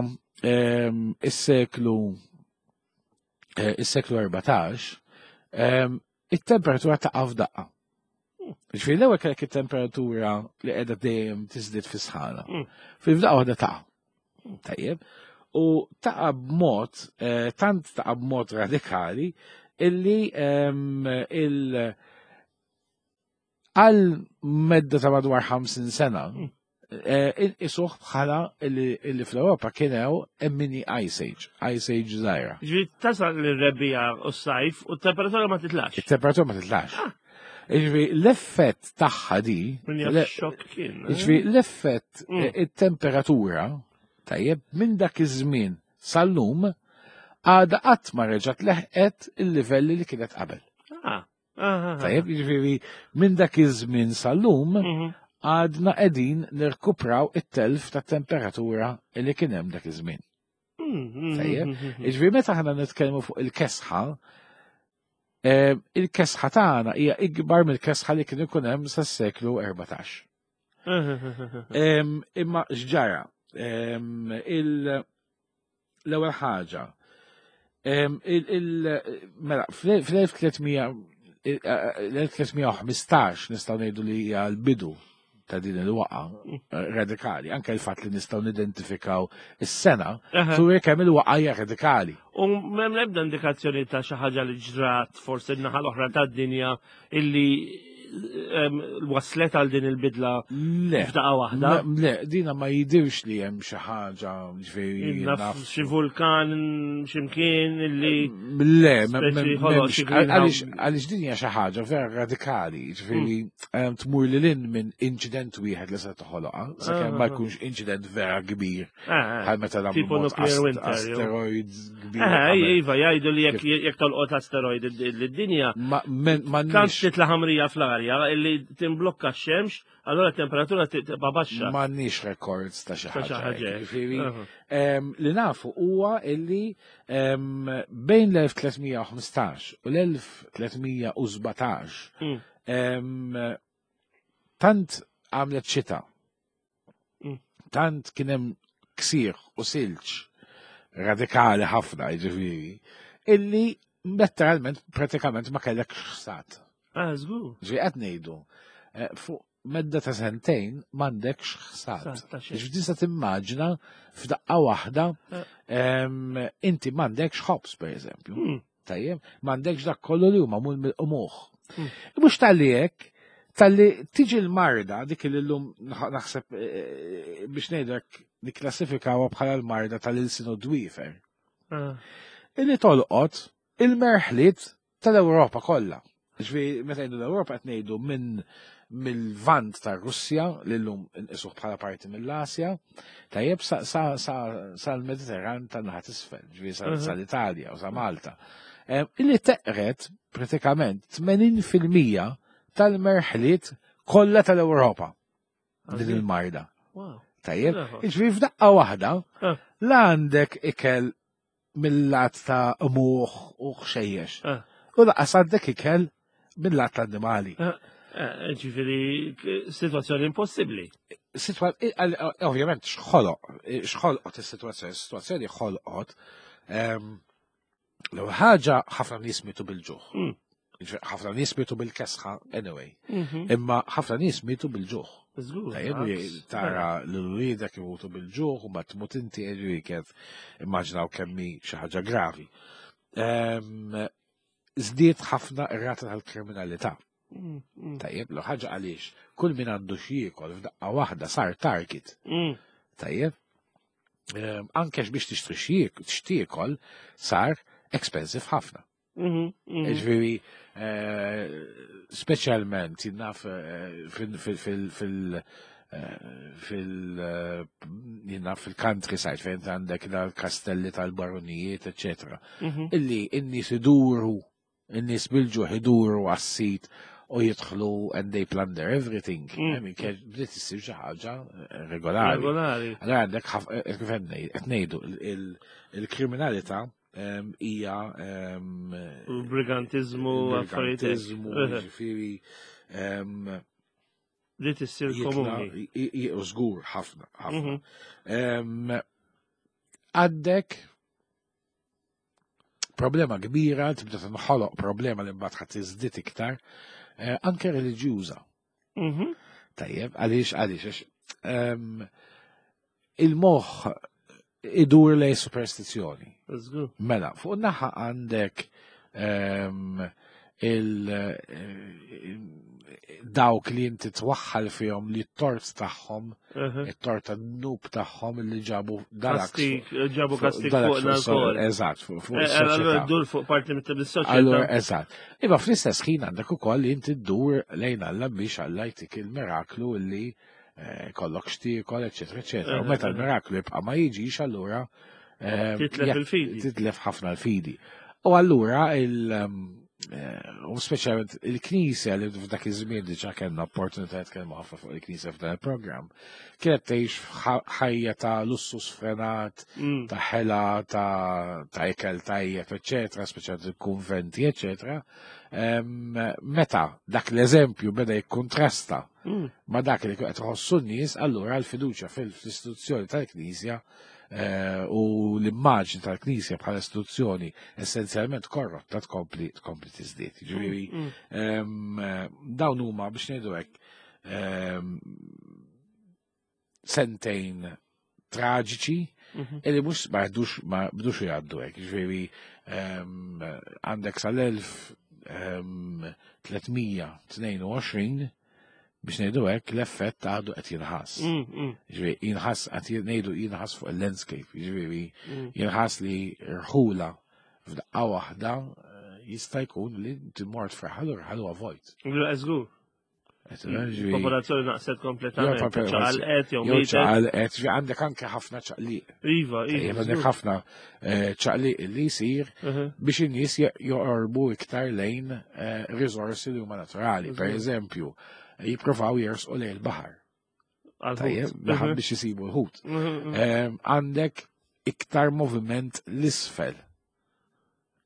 is-seklu 14, it-temperatura taqa' f'daqqa. Ġifieri l-ewwel kellek it-temperatura li qiegħda dejjem tiżdied fis-sħana. Fil-fdaqqa waħda taqa'. Tajjeb. U taqa' b'mod, tant taqa' b'mod radikali illi Għal medda ta' madwar 50 sena, inqisuh bħala illi fl-Ewropa kien hemm mini Ice Age, Ice Age żgħira. Ġifieri tasal l-rebbiegħa u s-sajf u t-temperatura ma titlax. It-temperatura ma titlax. Ah. Ġifieri l-effett tagħha di. Xokk kien. Eh? Ġifieri l-effett it-temperatura tajjeb minn dak iż-żmien sal-lum għadha qatt ma reġgħet leħqet il-livelli li kienet qabel. Ah. Tajjeb, jiġifieri minn dak iż-żmien sal-lum għadna qegħdin nirkupraw it-telf ta' temperatura li kien hemm dak iż-żmien. Tajjeb, jiġifieri meta aħna nitkellmu fuq il-kesħa, il-kesħa tagħna hija ikbar mill-kesħa li kien ikun hemm sas-seklu 14. Imma x'ġara? L-ewwel ħaġa, mela fl-1315 nistgħu ngħidu li hija l-bidu ta' din il-waqa radikali, anke l-fatt li nistgħu nidentifikaw is-sena, turi kemm il-waqa hija radikali. U m'hemm l-ebda indikazzjoni ta' xi ħaġa li ġrat forsi n-naħa l-oħra tad-dinja illi waslet għal din il-bidla f'daqqa waħda. Le, dina ma jidirx li hemm xi ħaġa ġifieri. Naf xi vulkan x'imkien illi. Le, għaliex din hija xi ħaġa vera radikali, ġifieri tmur lil hinn minn inċident wieħed li se toħoloqha, sakemm ma jkunx inċident vera kbir. Bħal meta nagħmlu asteroids kbir. Iva, jgħidu li jekk tolqot asteroid lid-dinja. Tant titla' ħamrija fl-arja illi timblokka x-xemx, allura temperatura tibqa' baxxa. M'għandniex records ta' xi ħaġa. Ġifieri, li nafu huwa illi bejn l-1315 u l-1317 tant għamlet xita Tant kien hemm ksieħ u silġ radikali ħafna, jiġifieri, illi letteralment pratikament ma kellek ħsad. Ah, żgur. Ġi qed ngħidu, fuq medda ta' sentejn m'għandekx ħsad. Ġifieri tista' timmaġina f'daqqa waħda inti m'għandekx ħobż pereżempju. Tajjeb, m'għandekx dak kollu li huma magħmul mill-qmuħ. Mhux talli hekk, talli tiġi l-marda dik li llum naħseb biex ngħidlek nikklassifikawha bħala l-marda tal-ilsien u d-dwiefer. Illi tolqot il-merħliet tal-Ewropa kollha. Ġifieri meta ngħidu l-Ewropa qed ngħidu minn mill-Lvant tar-Russja li llum inqisuh bħala parti mill-Asja, tajjeb sal-Mediterran tan-naħa t'isfel, ġifieri sal-Italja u sa Malta. Illi teqret pratikament 80% tal-merħliet kollha tal-Ewropa din il-marda. Tajjeb, ġifieri f'daqqa waħda la għandek ikel mill-lat ta' qmuħ u ħxejjex. U laqas għandek ikel mill-lat ta' annimali. Ġifieri, situazzjoni impossibbli. Ovvjament, xħoloq, xħolqot is-situazzjoni, is-situazzjoni ħolqot. L-ewwel ħaġa ħafna nies mietu bil-ġuħ. Ħafna nies mietu bil-kesħa anyway. Imma ħafna nies mietu bil-ġuħ. Tajjeb, tara l-uliedek imutu bil-ġuħ u ma tmut inti kif immaġinaw kemmi xi ħaġa gravi. Żdied ħafna ir-rata tal-kriminalità. Tajjeb, l ħaġa għaliex kull min għandu xi jiekol f'daqqa waħda sar target. Tajjeb, anke biex tixtri x'tiekol sar expensive ħafna. Ġifieri, speċjalment jien naf jien naf fil-countryside fejn għandek dal-kastelli tal-baronijiet, eccetera. Illi n-nies iduru, n-nies bil-ġuħ iduru għas-sit u jidħlu and they plunder everything. I mean, bdiet issir xi ħaġa regolari. Regolari. Allora għandek kif qed ngħidu, il-kriminalità hija Il-brigantizmu, affarijiet hekk. brigantizmu, ġifieri, Bdiet issir jitla' komuni. u żgur ħafna, ħafna. Għandek problema kbira, tibda tinħoloq problema li mbagħad ħadd tiżdied iktar, anke reliġjuża. Tajjeb, għaliex, għax il-moħħ idur lej superstizzjoni. Żgur. Mela, fuq naħa għandek Dawk li inti twaħħal fihom li t-tort tagħhom, it-tort tad-dnub tagħhom li ġabu dalak. Ġabu kastik fuq l Eżatt, fuq eh, eh, Allura ddur fuq parti mit-soċjetà. Allura, eżatt. Iva fl-istess ħin għandek ukoll li inti ddur lejn Alla biex Alla jtik il-miraklu li eh, kollok xtiekol, eċetera, eċetera. U meta l-miraklu jibqa' ma jiġix allura Titlef il-fidi. Titlef ħafna l-fidi. U allura il- eh, u speċjalment il-Knisja li f'dak iż-żmien diġà kellna opportunità nitkellmu ħafna fuq il-Knisja f'dan il-programm, kienet tgħix ħajja ta' lussu sfrenat, mm. ta' ħela, ta' ikel tajjeb, eċetera, speċjalment il-kunventi, eċetera. Meta dak l-eżempju beda jikkontrasta mm. ma dak li qed tħossu n-nies, allura l-fiduċja fil-istituzzjoni tal-Knisja Eh, u l-immaġni tal-Knisja bħala istituzzjoni essenzjalment korrotta tkompli tkompli tiżdied. Ġifieri mm, mm. Eh, dawn huma biex ngħidu hekk sentejn traġiċi mhm. illi mhux ma jdux ma bdux jgħaddu hekk. Ġifieri għandek sal-1322 biex ngħidu hekk l-effett għadu qed jinħass. Mm, mm. Ġifieri jinħass qed ngħidu jinħass fuq il-landscape, jiġifieri mm. jinħass li rħula f'daqqa waħda eh, jista' jkun li timort fraħal u rħal huwa vojt. Żgur. Popolazzjoni naqset kompletament. Ċaqalqet, jew mietet. Ċaqalqet, għandek anke ħafna ċaqliq. Iva, iva. Għandek ħafna eh, ċaqliq li jsir mhm. biex in-nies joqorbu iktar lejn eh, riżorsi li huma naturali. Per eżempju, jippruvaw jersqu lejn il-baħar. Tajjeb, mhm. biex jisibu l-ħut. Mhm, eh, għandek iktar moviment l-isfel.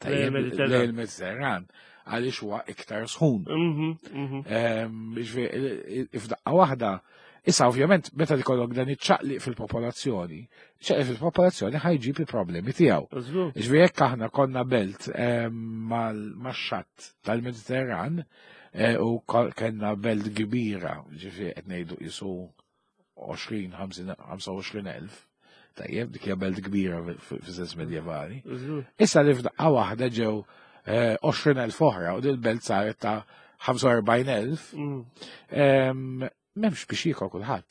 Tajjeb, lejn il-Mediterran għaliex huwa iktar sħun. F'daqqa waħda, issa ovvjament meta jkollok dan iċ-ċaqliq fil-popolazzjoni, ċaqliq fil-popolazzjoni ħajġib il-problemi tiegħu. Ġifieri jekk aħna konna belt max-xatt tal-Mediterran eh, u kellna belt kbira, ġifieri qed ngħidu qisu 20, 25 elf, tajjeb, dik hija belt kbira fis-sens medjevali. Issa li f'daqqa waħda ġew 20,000 eh, oħra u dil-belt saret ta' 45,000, mm. m'hemmx biex jiekol kulħadd.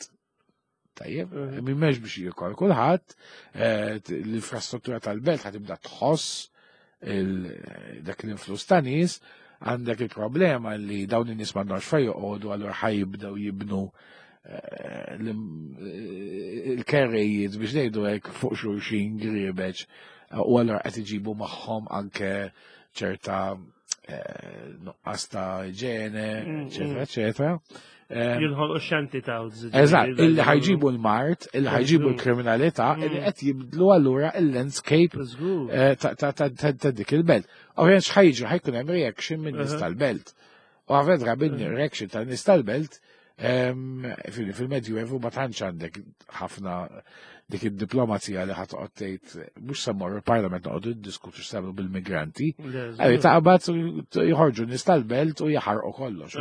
Tajjeb, mm. m'hemmx biex jiekol kulħadd, eh, l-infrastruttura tal-belt ħatibda tħoss dak l-influss ta' nies, għandek il-problema li dawn in-nies m'għandhomx fejn joqogħdu allura ħajibdew jibnu eh, eh, il-kerrejiet biex ngħidu hekk fuq xulxin griebeġ u allura qed iġibu magħhom anke ċerta eh, nuqqas ta' iġene, mm, eċetera, mm. eċetera. Jinħolqu xanti ta' Eżatt, illi ħajġibu l-mart, illi ħajġibu l-kriminalità, mm. illi qed jibdlu allura il-landscape eh, ta' dik il-belt. Ovvjament x'ħajġu ħajkun hemm reaction minn nies tal-belt. U għaved rabin reaction tal-nies tal-belt Fil-Medju Evu ma tantx għandek ħafna dik id-diplomazija li ħatqgħod tgħid mhux se mmorru il-Parlament noqogħdu niddiskutu x'sagħmlu bil-migranti. Għalli taqbad joħorġu nies tal-belt u jaħarqu kollox.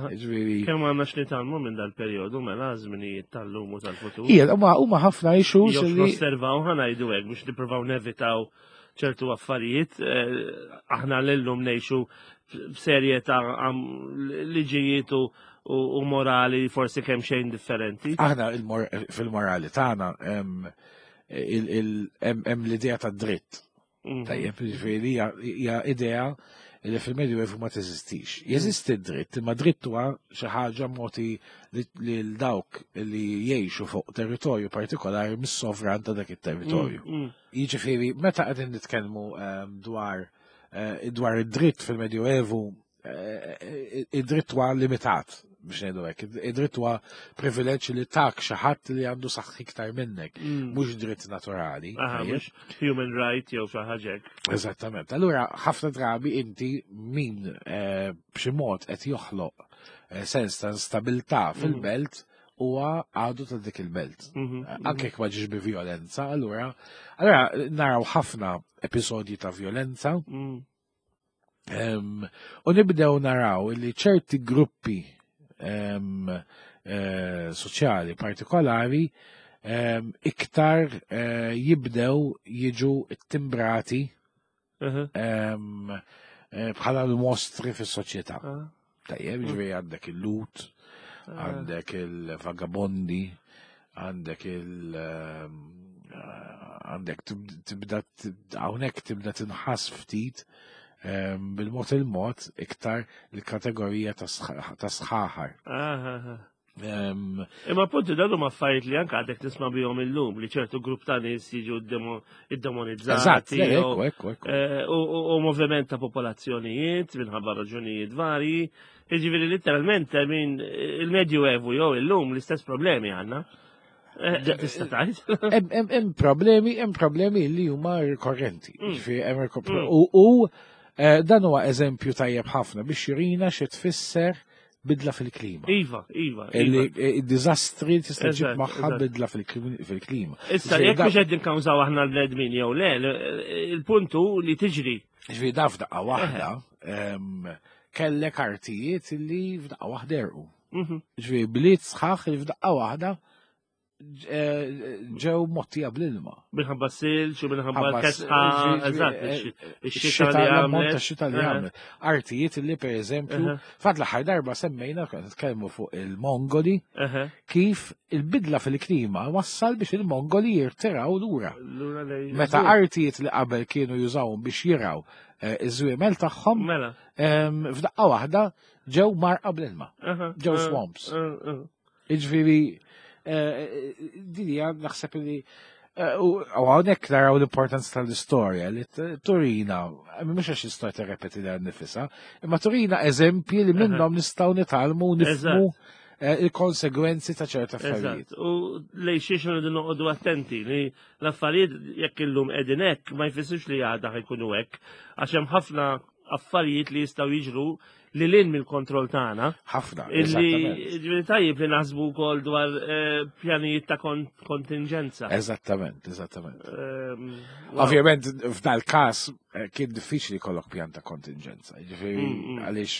Ġifieri. Kemm għandna x'nitgħallmu minn dal-perjodu mela żminijiet tal-lum u tal-futur. Ija, huma ħafna issues li. Nosservaw ħanajdu hekk biex nippruvaw nevitaw ċertu affarijiet, eh, aħna l-lum nejxu f'serje ta' liġijiet u morali forsi kemm xejn differenti. Aħna fil-morali tagħna hemm l-idea ta' dritt. Mhm. Tajjeb, ġifieri hija idea li fil-Medju Evu ma teżistix. Mhm. Jeżisti d-dritt, imma dritt huwa xi ħaġa moti lil dawk li jgħixu fuq territorju partikolari mis-sovran ta' dak it-territorju. Mm, mm. Jiġifieri, meta qegħdin nitkellmu ehm, dwar eh, dwar id-dritt fil-Medjuevu, eh, id-dritt huwa limitat biex ngħidu hekk. Id-dritt huwa privileġġ li tak xi ħadd li għandu saħħ iktar minnek, mm. mhux dritt naturali. Mhux human right jew xi ħaġa Eżattament. Allura ħafna drabi inti min eh, b'xi mod qed joħloq sens ta' instabilità mm. fil-belt huwa għadu ta' dik il-belt. Mhm, mhm. Anke jekk ma ġiex bi violenza, allura allura naraw ħafna episodji ta' violenza. Mm. U nibdew naraw li ċerti gruppi eh, soċjali partikolari iktar eh, jibdew jiġu timbrati eh, bħala l-mostri fis-soċjetà. Tajjeb, ġifieri għandek il-lut, għandek il-vagabondi, għandek il- għandek tibda hawnhekk tibda tinħass ftit bil-mod il-mod iktar il-kategorija ta' sħaħar. Imma appuntu dan huma affarijiet li anke għadek tisma' bihom illum li ċertu grupp ta' nies jiġu iddemonizzati. Eżatt, U moviment ta' popolazzjonijiet minħabba raġunijiet varji. Jiġifieri letteralment min il-Medju Evu jew illum l-istess problemi għandna. Tista' tgħid? Hemm problemi, hemm problemi li huma rikorrenti. U dan huwa eżempju tajjeb ħafna biex jurina xi tfisser bidla fil-klima. Iva, iva. Il-dizastri tista' ġib magħha bidla fil-klima. Issa jekk mhux qed nikkawżaw aħna l-bnedmin jew le, il-puntu li tiġri. Ġifieri da f'daqqa waħda kellek artijiet li f'daqqa waħda erqu. Ġifieri bliet sħaħ li f'daqqa waħda ġew mottija bl-ilma. Minħabba silġ u minħabba l-kesħa, eżatt, ix-xita li għamlet. Xita li għamlet. Artijiet li per eżempju, fat l-aħħar darba semmejna, konna nitkellmu fuq il-Mongoli, kif il-bidla fil-klima wassal biex il-Mongoli jirtiraw lura. Meta artijiet li qabel kienu jużawhom biex jiraw iż-żwiemel tagħhom, f'daqqa waħda ġew marqa bl-ilma, ġew swamps. Iġifieri, din hija naħseb li u hawnhekk naraw l-importanza tal-istorja li turina, mhux għax l-istorja tirrepeti lilha nnifisha, imma turina eżempji li minnhom nistgħu nitgħallmu u nifhmu il-konsegwenzi ta' ċerta affarijiet. U lej xiex rridu noqogħdu attenti li l-affarijiet jekk illum qegħdin hekk ma jfissirx li għada ħajkunu hekk, għax hemm ħafna affarijiet li jistgħu jiġru li lin mill-kontroll tagħna. Ħafna. Illi tajjeb li naħsbu wkoll dwar pjanijiet ta' kontingenza. Eżattament, eżattament. Ovvjament f'dal każ kien diffiċli jkollok pjan ta' kontingenza. Jiġifieri għaliex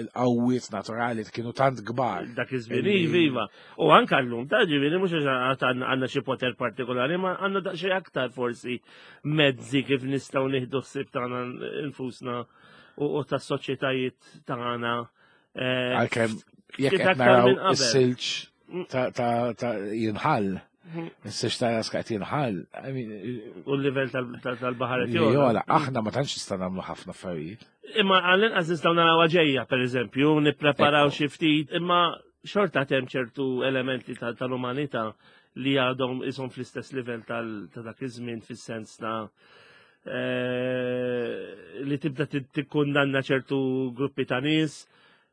il-qawwiet naturali kienu tant kbar. Dak iż-żmien, iva. U anke llum ta' ġifieri mhux għax għandna xi poter partikolari, ma għandna daqsxejn aktar forsi mezzi kif nistgħu nieħdu ħsieb tagħna infusna u tas-soċjetajiet tagħna. Għalkemm jekk qed naraw is-silġ ta' jinħall, is-silġ ta' Alaska qed jinħall. U l-livell tal-baħar qed jogħla. Aħna ma tantx nistgħu nagħmlu ħafna affarijiet. Imma għall-inqas nistgħu naraw ġejja, pereżempju, nippreparaw xi ftit, imma xorta hemm ċertu elementi tal-umanità li għadhom ishom fl-istess livell ta' dak iż-żmien fis-sens ta' li tibda tikkundanna ċertu gruppi ta' nies.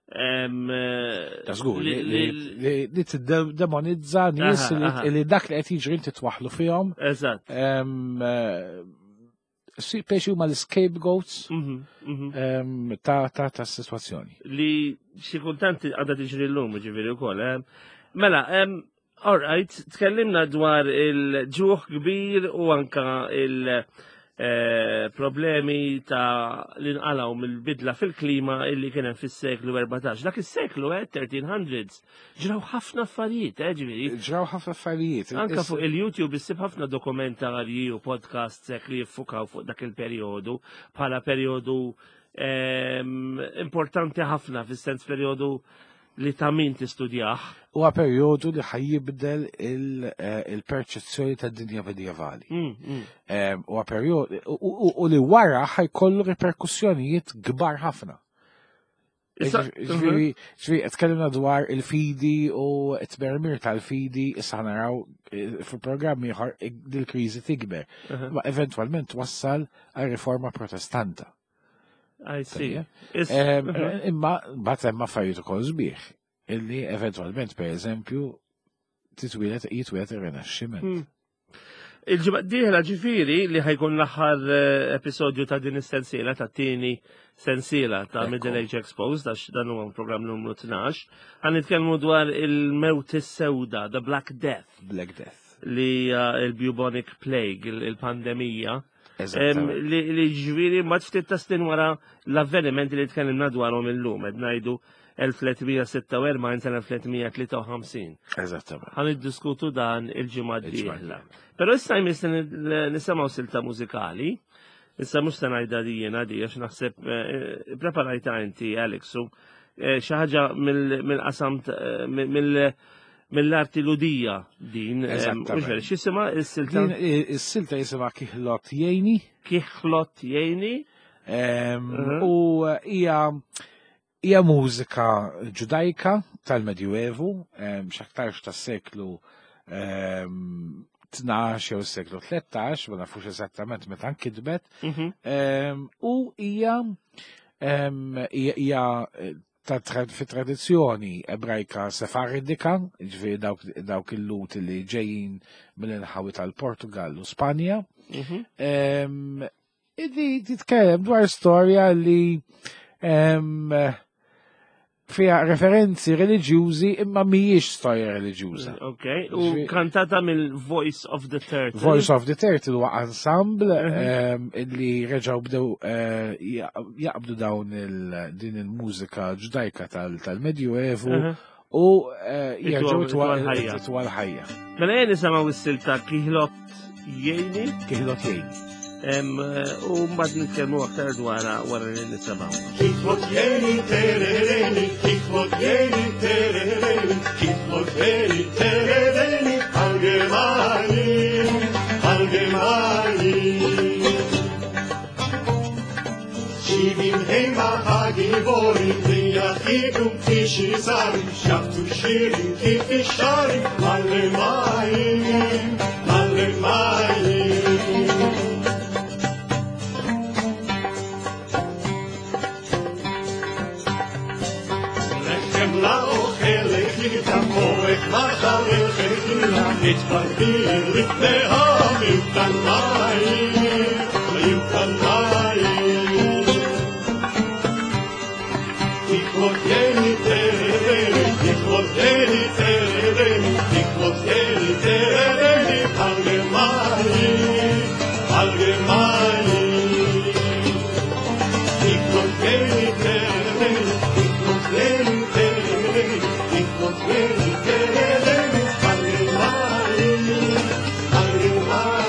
Ta' żgur li tiddemonizza nies li dak li qed jiġri inti twaħħlu fihom. Eżatt. Peċi huma l-scapegoats ta' situazzjoni. Li xi kultant għadha tiġri llum, ġifieri wkoll. Mela, all right, tkellimna dwar il-ġuħ kbir u anka il-problemi ta' l-inqalaw mill-bidla fil-klima illi kien hemm fis-seklu 14. Dak is-seklu, 1300s, ġraw ħafna affarijiet, ġifieri. Ġraw ħafna affarijiet. Anka fuq il-YouTube issib ħafna dokumentarji u podcasts hekk li jiffukaw fuq dak il-perjodu bħala perjodu importanti ħafna fis-sens perjodu li ta' min tistudjah. Huwa perjodu li ħajjibdel il-perċezzjoni tad-dinja medjevali. Huwa perjodu u li wara ħajkollu reperkussjonijiet kbar ħafna. Ġifieri, tkellimna dwar il-fidi u t-tmermir tal-fidi, issa naraw fil-programm ieħor dil-kriżi tikber. Ma eventwalment wassal għal riforma protestanta. I see. Imma mbagħad hemm affarijiet ukoll sbieħ illi eventwalment pereżempju titwieled jitwieled ir-Rinaxximent. Il-ġimgħa d-dieħla ġifieri li ħajkun l-aħħar episodju ta' din is-sensiela, ta' tieni sensiela ta' Middle Age Exposed, għax dan huwa programm numru 12, ħan nitkellmu dwar il-mewt is-sewda, the Black Death. Black Death. Li hija il-bubonic plague, il-pandemija. Li ġifieri ma ftit ta' snin wara l-avvenimenti li tkellimna dwarhom illum, qed ngħidu 1346 sa 1353. Eżattament. Ħan iddiskutu dan il-ġimgħa d-dieħla. Però issa jmiss nisimgħu silta mużikali. Issa mhux se ngħidha li jiena di għax naħseb eh, preparajta inti Alex u eh, xi ħaġa mill-qasam mill-arti ludija din. Eżattament. X'jisimha is-silta? Is-silta jisimha Kiħlot Jgħini. Kiħlot Jgħini. U hija Hija mużika Ġudajka tal-Medjuevu, x'aktarx tas-seklu 12 jew s-seklu 13, ma nafux eżattament meta nkitbet, mhm. u hija hija eh, fi tradizzjoni ebrajka sefardika, ġifieri dawk il-lut li ġejjin mill-inħawi tal-Portugal u Spanja. Mhm. Di titkellem dwar storja li fija referenzi reliġjużi imma mhijiex storja reliġjuża. Ok, u kantata mill-Voice of the Turtle. Voice of the Turtle huwa ensemble mhm. li reġgħu bdew eh, jaqbdu dawn din il-mużika ġudajka tal-Medjuevu mhm. u eh, jerġgħu twal ħajja. Mela jien nisimgħu s-silta kihlot jgħini. Kihlot jgħini. Eh, u mbagħad nitkellmu aktar dwarha wara li nisimgħu. Kihlot jgħini terereni, kihlot jgħini terereni, kihlot jgħini terereni, allgemani, allgemani. שבעים המה הגיבורים ויחידו כשזרים שבתו שירים כפי שרים מלא מים מלא מים לחם לאוכל לחיטה מורך מחל אל נתפרדים לפני המיותן מים מיותן מים תכלותני תרדני, תכלותני תרדני, תכלותני תרדני, allgemein, allgemein. תכלותני תרדני, תכלותני תרדני, תכלותני תרדני, allgemein, allgemein.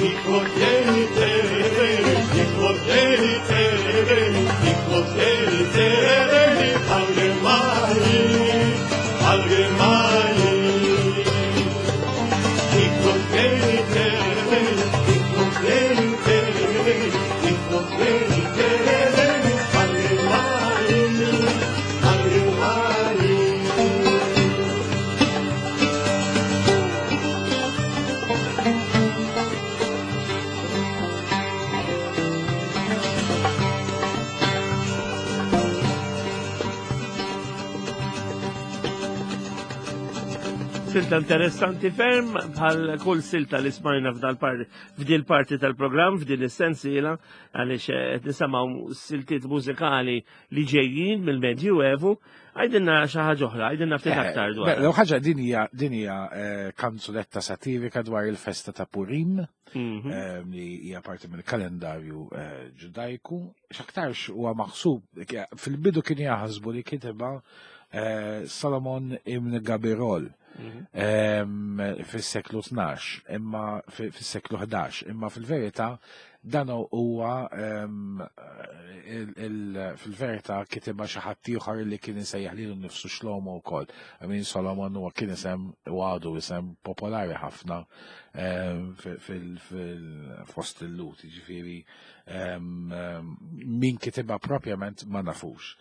תכלותני תרדני, תכלותני תרדני, תכלותני תרדני, allgemein, allgemein. תכלותני תרדני, תכלותני תרדני, תכלותני תרדני, allgemein, allgemein. Silta interessanti ferm bħal kull silta li smajna f'dal parti f'dil parti tal-programm f'din is-sensiela għaliex eh, qed nisimgħu siltiet mużikali li ġejjin mill-Medju Evu. Għajdinna xi ħaġa oħra, għajdinna ftit eh, aktar dwar. Mela, ħaġa din hija din hija eh, kanzunetta satirika dwar il-festa ta' Purim mhm. li hija parti mill-kalendarju ġudajku. X'aktarx huwa maħsub fil-bidu kien jaħsbu li kiteba Solomon ibn Gabirol mhm. fis-seklu 12, imma fis-seklu 11, imma fil-verità dan huwa fil-verità kitibha xi ħadd ieħor li kien isejjaħ lilu nnifsu Xlomo wkoll. I mean Solomon huwa kien isem u għadu isem popolari ħafna fil-fost il-Lut, jiġifieri min kitibha propjament ma nafux.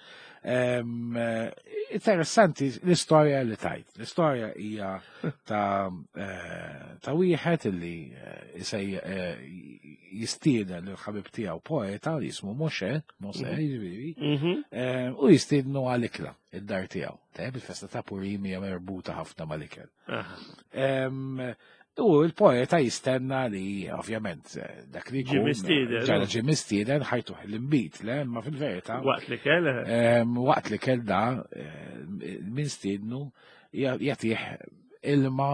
Interessanti l-istorja li tajt. L-istorja hija ta' eh, ta' wieħed li eh, isej eh, jistieden lil ħabib tiegħu poeta li jismu Moshe, Moshe mhm. jiġifieri, mhm. u jistiednu għal ikla id-dar tiegħu. Tajjeb il-festa ta' Purim hija merbuta ħafna mal-ikel. U l-poeta jistenna li, ovvjament, dak li jkun. Mistieden. Ġara ġie mistieden ħajtuh l-imbit, le, ma fil-verità. Waqt li kell. Waqt li kell da, min stiednu jagħtih ilma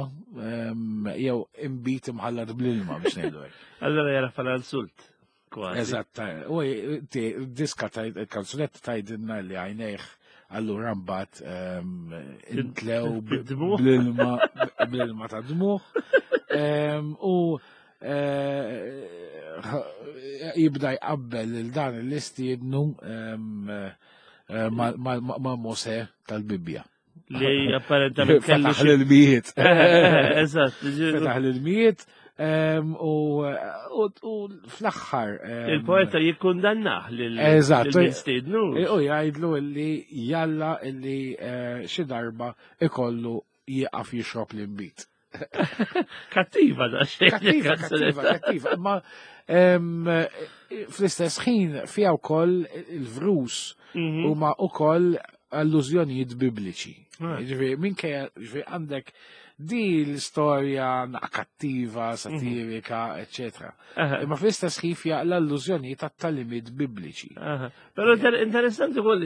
jew imbit imħallat bl-ilma biex ngħidu hekk. Allora jara fala l-sult. Eżatt, u diska il-kanzunetta tgħidilna li għajnejh Allura mbagħad intlew bl-ilma bl-ilma ta' dmuħ. U jibda jqabbel lil dan l-istiednu ma' Mosè tal-Bibbja. Li apparentament kellu Fetaħ l-mijiet. Eżatt. Fetaħ l-mijiet u fl-aħħar. Il-poeta jikkundannah lil Eżatt. mistiednu. U jgħidlu li jalla li xi darba ikollu jieqaf jixrob l-inbid. Kattiva da xejn. Kattiva, kattiva, kattiva. Ma fl-istess ħin fiha wkoll il-vrus huma wkoll allużjonijiet bibliċi. Ġifieri minkejja ġifieri għandek di l-istorja kattiva, satirika, eccetera. Imma fl-istess ħin fiha l-allużjonijiet tat-talimiet bibliċi. Però interessanti wkoll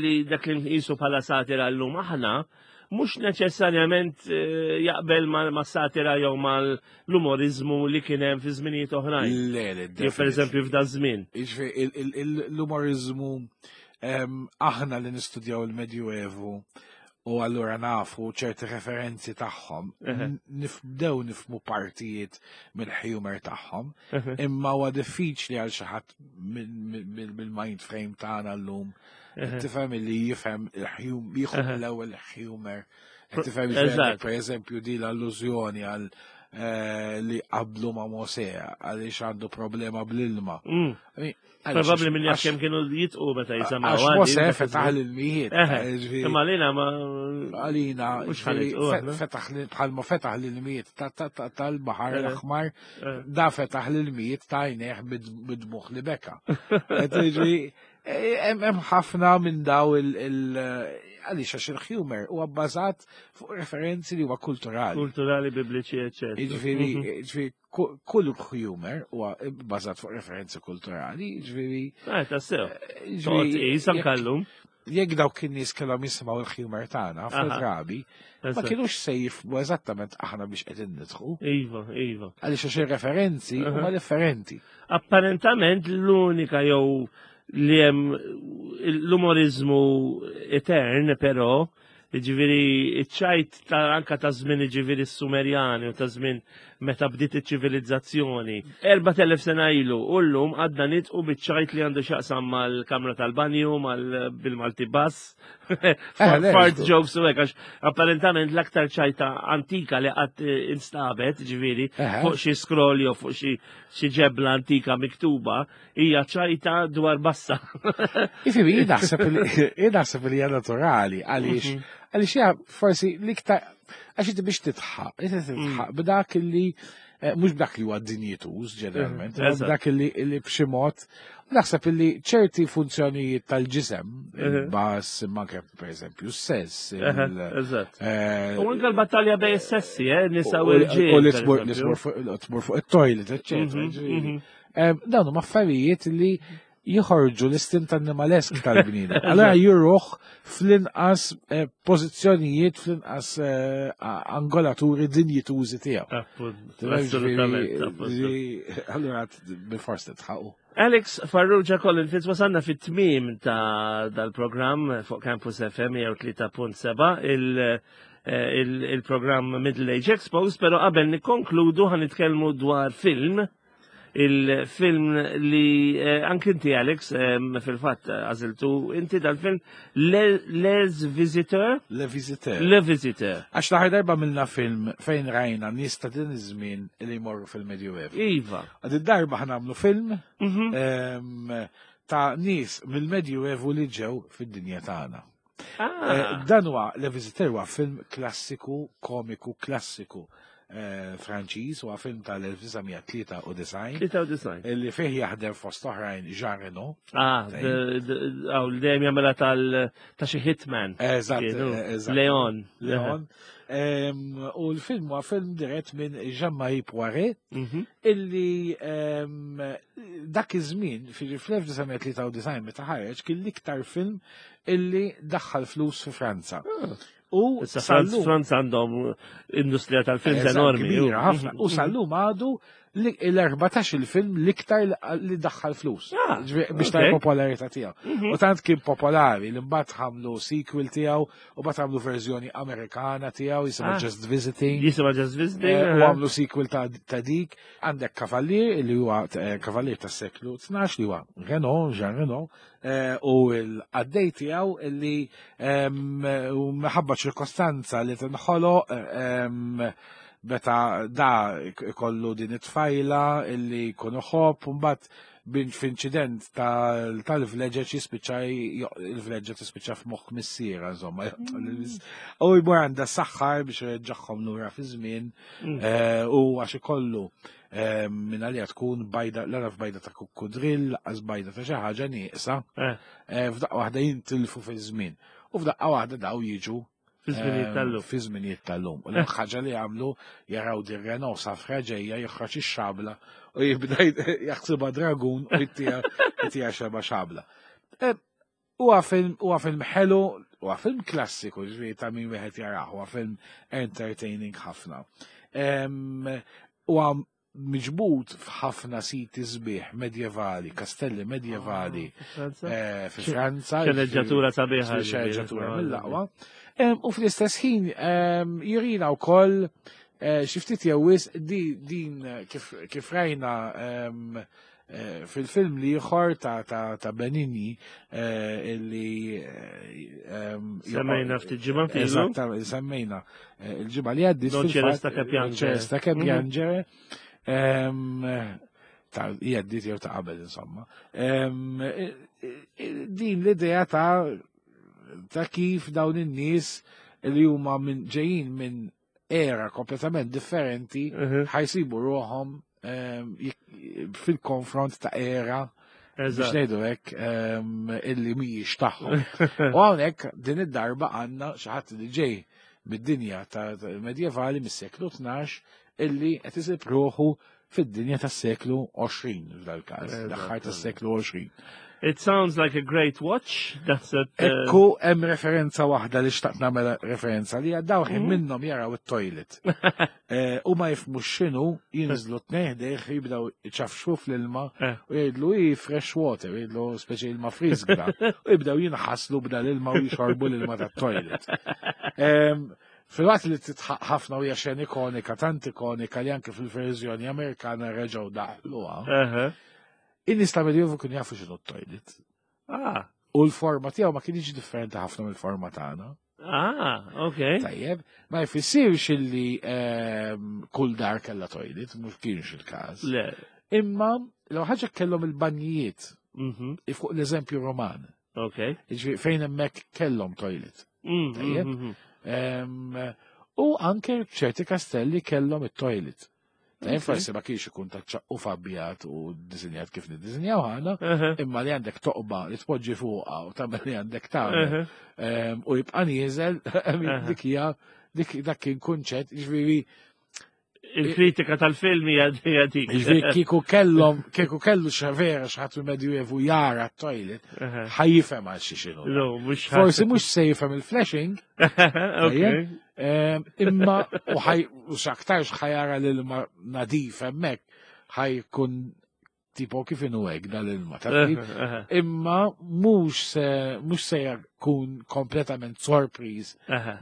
li dak li nqisu bħala satira llum aħna mhux neċessarjament jaqbel ma' satira jew mal-umorizmu li kien hemm fi żminijiet oħrajn. Le, le, Jew pereżempju f'da żmien. Jiġifieri l-umorizmu aħna li nistudjaw il-Medjuevu u allura nafu ċerti referenzi tagħhom, nibdew nifmu partijiet mill-humor tagħhom, imma huwa diffiċli għal xi ħadd mill-mind frame tagħna llum. Tifhem li jifhem il-humor, jieħu l-ewwel humor. Tifhem per eżempju di l-allużjoni għal li qablu ma' Mosè għaliex għandu problema bl-ilma. Probabbli minn jaf kemm kienu jitqu meta jisimgħu. Għax Mosè fetaħ l-ilmijiet. Imma għalina ma. Għalina, fetaħ bħalma fetaħ l-ilmijiet tal-Baħar l-Aħmar, da fetaħ l-ilmijiet ta' għajnejh bid-dmugħ li beka. Hemm ħafna minn daw il- għaliex għax il-humor huwa bbażat fuq referenzi li huwa kulturali. Kulturali, bibliċi, eccetera. Jiġifieri kull humor huwa bbażat fuq referenzi kulturali, jiġifieri. Ah, tassew. Jiġifieri. kallum. Jekk dawk in-nies kellhom jisimgħu il-humor tagħna ħafna drabi, ma kienux se jifhmu eżattament aħna biex qegħdin nidħku. Iva, iva. Għaliex għax ir-referenzi huma differenti. Apparentament l-unika jew li hemm l-umorizmu etern, però, ġifieri, ċajt ta' anka ta' żmien ġifieri s-Sumerjani u ta' żmien meta bdiet iċ-ċivilizzazzjoni. 4000 sena ilu, u llum għadna nidħku biċ-ċajt li għandu x'jaqsam mal-kamra tal-banju, mal bil-Malti bass, fart jokes u hekk, għax apparentament l-aktar ċajta antika li qatt instabet, ġifieri, fuq xi scroll jew fuq xi ġebla antika miktuba, hija ċajta dwar bassa. Ifimi, jien naħseb li hija naturali għaliex għaliex hija forsi l-iktar għax inti biex titħaq, inti titħaq b'dak li mhux b'dak li huwa dinjituż ġeneralment, b'dak li b'xi mod naħseb li ċerti funzjonijiet tal-ġisem, il-bass, imma anke pereżempju s-sess. Eżatt. U anke l-battalja bejn is-sessi, nisa u l-ġiel. U li tmur fuq it-toilet, eċċetera. Dawn huma affarijiet li jħorġu l-istint animalesk tal-bniedem. Allora juruh fl-inqas pożizzjonijiet, fl-inqas angolaturi dinjitużi tiegħu. Assolutament. Allora bil-fors titħaqu. Alex Farrugia Colin Fitz wasalna fit-tmiem ta' dal-programm fuq Campus FM 103.7 il-programm Middle Age Exposed, pero qabel nikkonkludu ħa nitkellmu dwar film, il-film li anki inti Alex fil-fatt għażiltu inti dal-film Les Visiteurs. Le Visiteur. Le Visiteur. Għax l-aħħar darba għamilna film fejn rajna nies ta' din iż-żmien li jmorru fil-Medjuevu. Għad id-darba ħa nagħmlu film ta' nies mill-Medjuevu li ġew fid-dinja tagħna. Dan huwa Le Visiteur huwa film klassiku, komiku klassiku Franċiż, huwa film tal-1993. 93. Li fih jaħdem fost oħrajn Jean Reno. Ah, għaw, dejjem jagħmilha ta' xi hitman. Eżatt, Kienu. eżatt. Leon. Leon. U l-film huwa film dirett minn Jean-Marie Poiret, illi dak iż-żmien, fl-1993 meta ħareġ, kien l-iktar film illi daħħal flus fi Franza. U Issa Franz għandhom industrija tal-films enormi. Kbira ħafna. U sal-lum għadu l-14 il-film l-iktar li daħħal flus. Ah, biex ta' popolarità tiegħu. Mhm. U tant kien popolari li mbagħad ħamlu sequel tiegħu u mbagħad għamlu verżjoni Amerikana tiegħu jisimha ah. Just Visiting. Jisimha Just Visiting. Eh, u għamlu sequel ta' dik. Għandek Kavallier li huwa eh, Kavallier tas-seklu 12 li huwa Renault, Jean Renault, eh, u l-għaddej tiegħu li minħabba ċirkostanza li tinħoloq meta da ikollu din it-tfajla illi jkun iħobb u mbagħad f'inċident tal-vleġeġ jispiċċa il-vleġġa tispiċċa f'moħħ missiera insomma. U jmur għandha saħħar biex ireġġagħhom lura fi żmien mm. eh, u għax ikollu eh, minn għalija tkun bajda l-għaraf bajda ta' kukkudrill, laqas bajda ta' xi ħaġa nieqsa, eh. f'daqqa waħda jintilfu fi żmien. U f'daqqa waħda daw jiġu Fi żminijiet ehm, tal-lum. Fi żminijiet tal-lum. U l-ħaġa li għamlu jaraw dir Renault safra ġejja joħroġ ix-xabla u jibda jaħsibha dragun u jtija xeba xabla. Ehm, huwa film huwa film ħelu, huwa film klassiku, ġifieri ta' min wieħed jarah, huwa film entertaining ħafna. Ehm, huwa miġbud f'ħafna siti sbieħ medjevali, kastelli medjevali ah, eh, fi Franza. Xeneġġatura sabiħa. Xeneġġatura mill-aqwa. U fl-istess ħin jurina wkoll eh, xi ftit jew wisq din kif rajna Eh, fil-film li ieħor ta' Benigni eh, illi eh, semmejna ftit ġimgħa Eżatt, semmejna il-ġimgħa li għaddiet. Non ċeresta che piangere. Ċeresta che mhm. piangere. Ta' jgħaddit jew ta' qabel insomma. Din l-idea ta' ta' kif dawn in-nies li huma minn ġejjin minn era kompletament differenti mhm. ħajsibu ruħhom ehm, fil-konfront ta' era biex ngħidu hekk ehm, illi mhijiex tagħhom. U hawnhekk din id-darba għandna xi ħadd li ġej mid-dinja ta' medjevali mis-seklu 12 illi qed isib ruħu fid-dinja tas-seklu 20 f'dal-każ, l-aħħar tas-seklu 20. It sounds like a great watch. That's it. Uh, Ekku hemm referenza waħda li xtaqt nagħmel referenza li daw ħin mm. minnhom jaraw it-toilet. Eh, u ma jifmu x'inhu jinżlu tnejn ħdejh jibdew iċafxu fl-ilma eh. u jgħidlu i fresh water, jgħidlu speċi ilma friżgra. U jibdew jinħaslu b'dal ilma u jixorbu l-ilma tat-toilet. Filwaqt li titħaq ħafna u hija xena ikonika, tant ikonika li anke fil-verżjoni Amerikana reġgħu daħluha. In-nies ta' Medjuevu kienu jafu x'inhu t-toilet. Ah. U l-forma tiegħu ma kienx differenti ħafna mill-forma tagħna. Ah, ok. Tajjeb, ma jfissirx illi ehm, kull dar kellha toilet, mhux kienx il-każ. Le. Imma l ħaġa kellhom il-banjijiet mhm. fuq l-eżempju Roman. Ok. Jiġifieri fejn hemmhekk kellhom toilet. Mm, Tajjeb. mm, mm. U anke ċerti kastelli kellhom it-toilet. Tajjeb forsi ma kienx ikun ta' ċaqqu fabbjat u disinjat kif niddisinjaw ħana, imma li għandek toqba li tpoġġi fuqha u tagħmel li għandek tagħmel. U jibqa' nieżel dik hija dik dak kien kunċett, jiġifieri Il-kritika tal-film hija dik. Jiġifieri kieku kellhom, kieku kellu xa vera xi ħadd mill-Medjuevu jara t-toilet, ħajjifhem għal xi x'inhu. No, mhux Forsi mhux se jifhem il-flashing, Okay. imma u ħaj u x'aktarx ħajara l-ilma nadif hemmhekk ħajkun tipo kif inhu hekk dal-ilma taf kif? Imma mhux se mhux se jkun kompletament sorpriż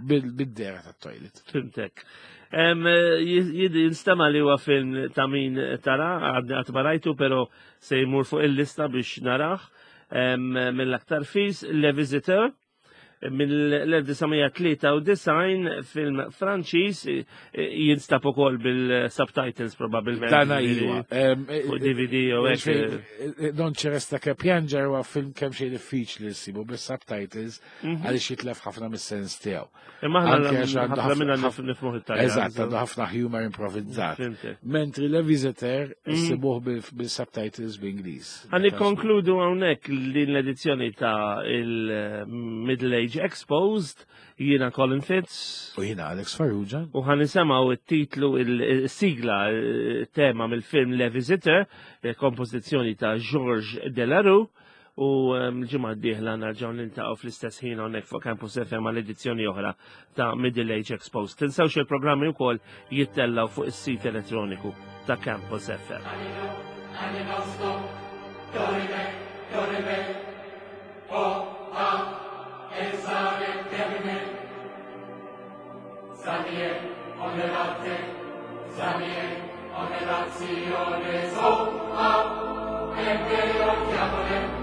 bil-dera tat-toilet. Fimtek. Jinstema li huwa film ta' min tara, għadni qatt ma rajtu, però se jmur fuq il-lista biex narah mill-aktar fis, Le Visiteur, mill-1993 film Franċiż jinstab ukoll bil-subtitles probabbilment. Dana iwa. Fuq DVD u hekk. Non ċeresta che piangere huwa film kemm xejn diffiċli ssibu bis-subtitles mhm. għaliex jitlef ħafna mis-sens tiegħu. Imma aħna minna nifhmu it-Taljan. Eżatt, għandu ħafna humor improvvizzat. Mentri Le Visiteur mhm. issibuh bil-subtitles bl-Ingliż. Għan nikkonkludu hawnhekk din l-edizzjoni ta' il-Middle Age Exposed, jiena Colin Fitz. U jiena Alex Farrugia. U ħan nisimgħu it-titlu, il-sigla, tema mill-film Le Visiteur, kompożizzjoni ta' Georges Delarue. u l-ġimgħa d-dieħla narġgħu niltaqgħu fl-istess ħin hawnhekk fuq Campus FM għal edizzjoni oħra ta' Middle Age Exposed. Tinsewx il-programmi wkoll jittellaw fuq is-sit elettroniku ta' Campus FM. Azione, so, a, e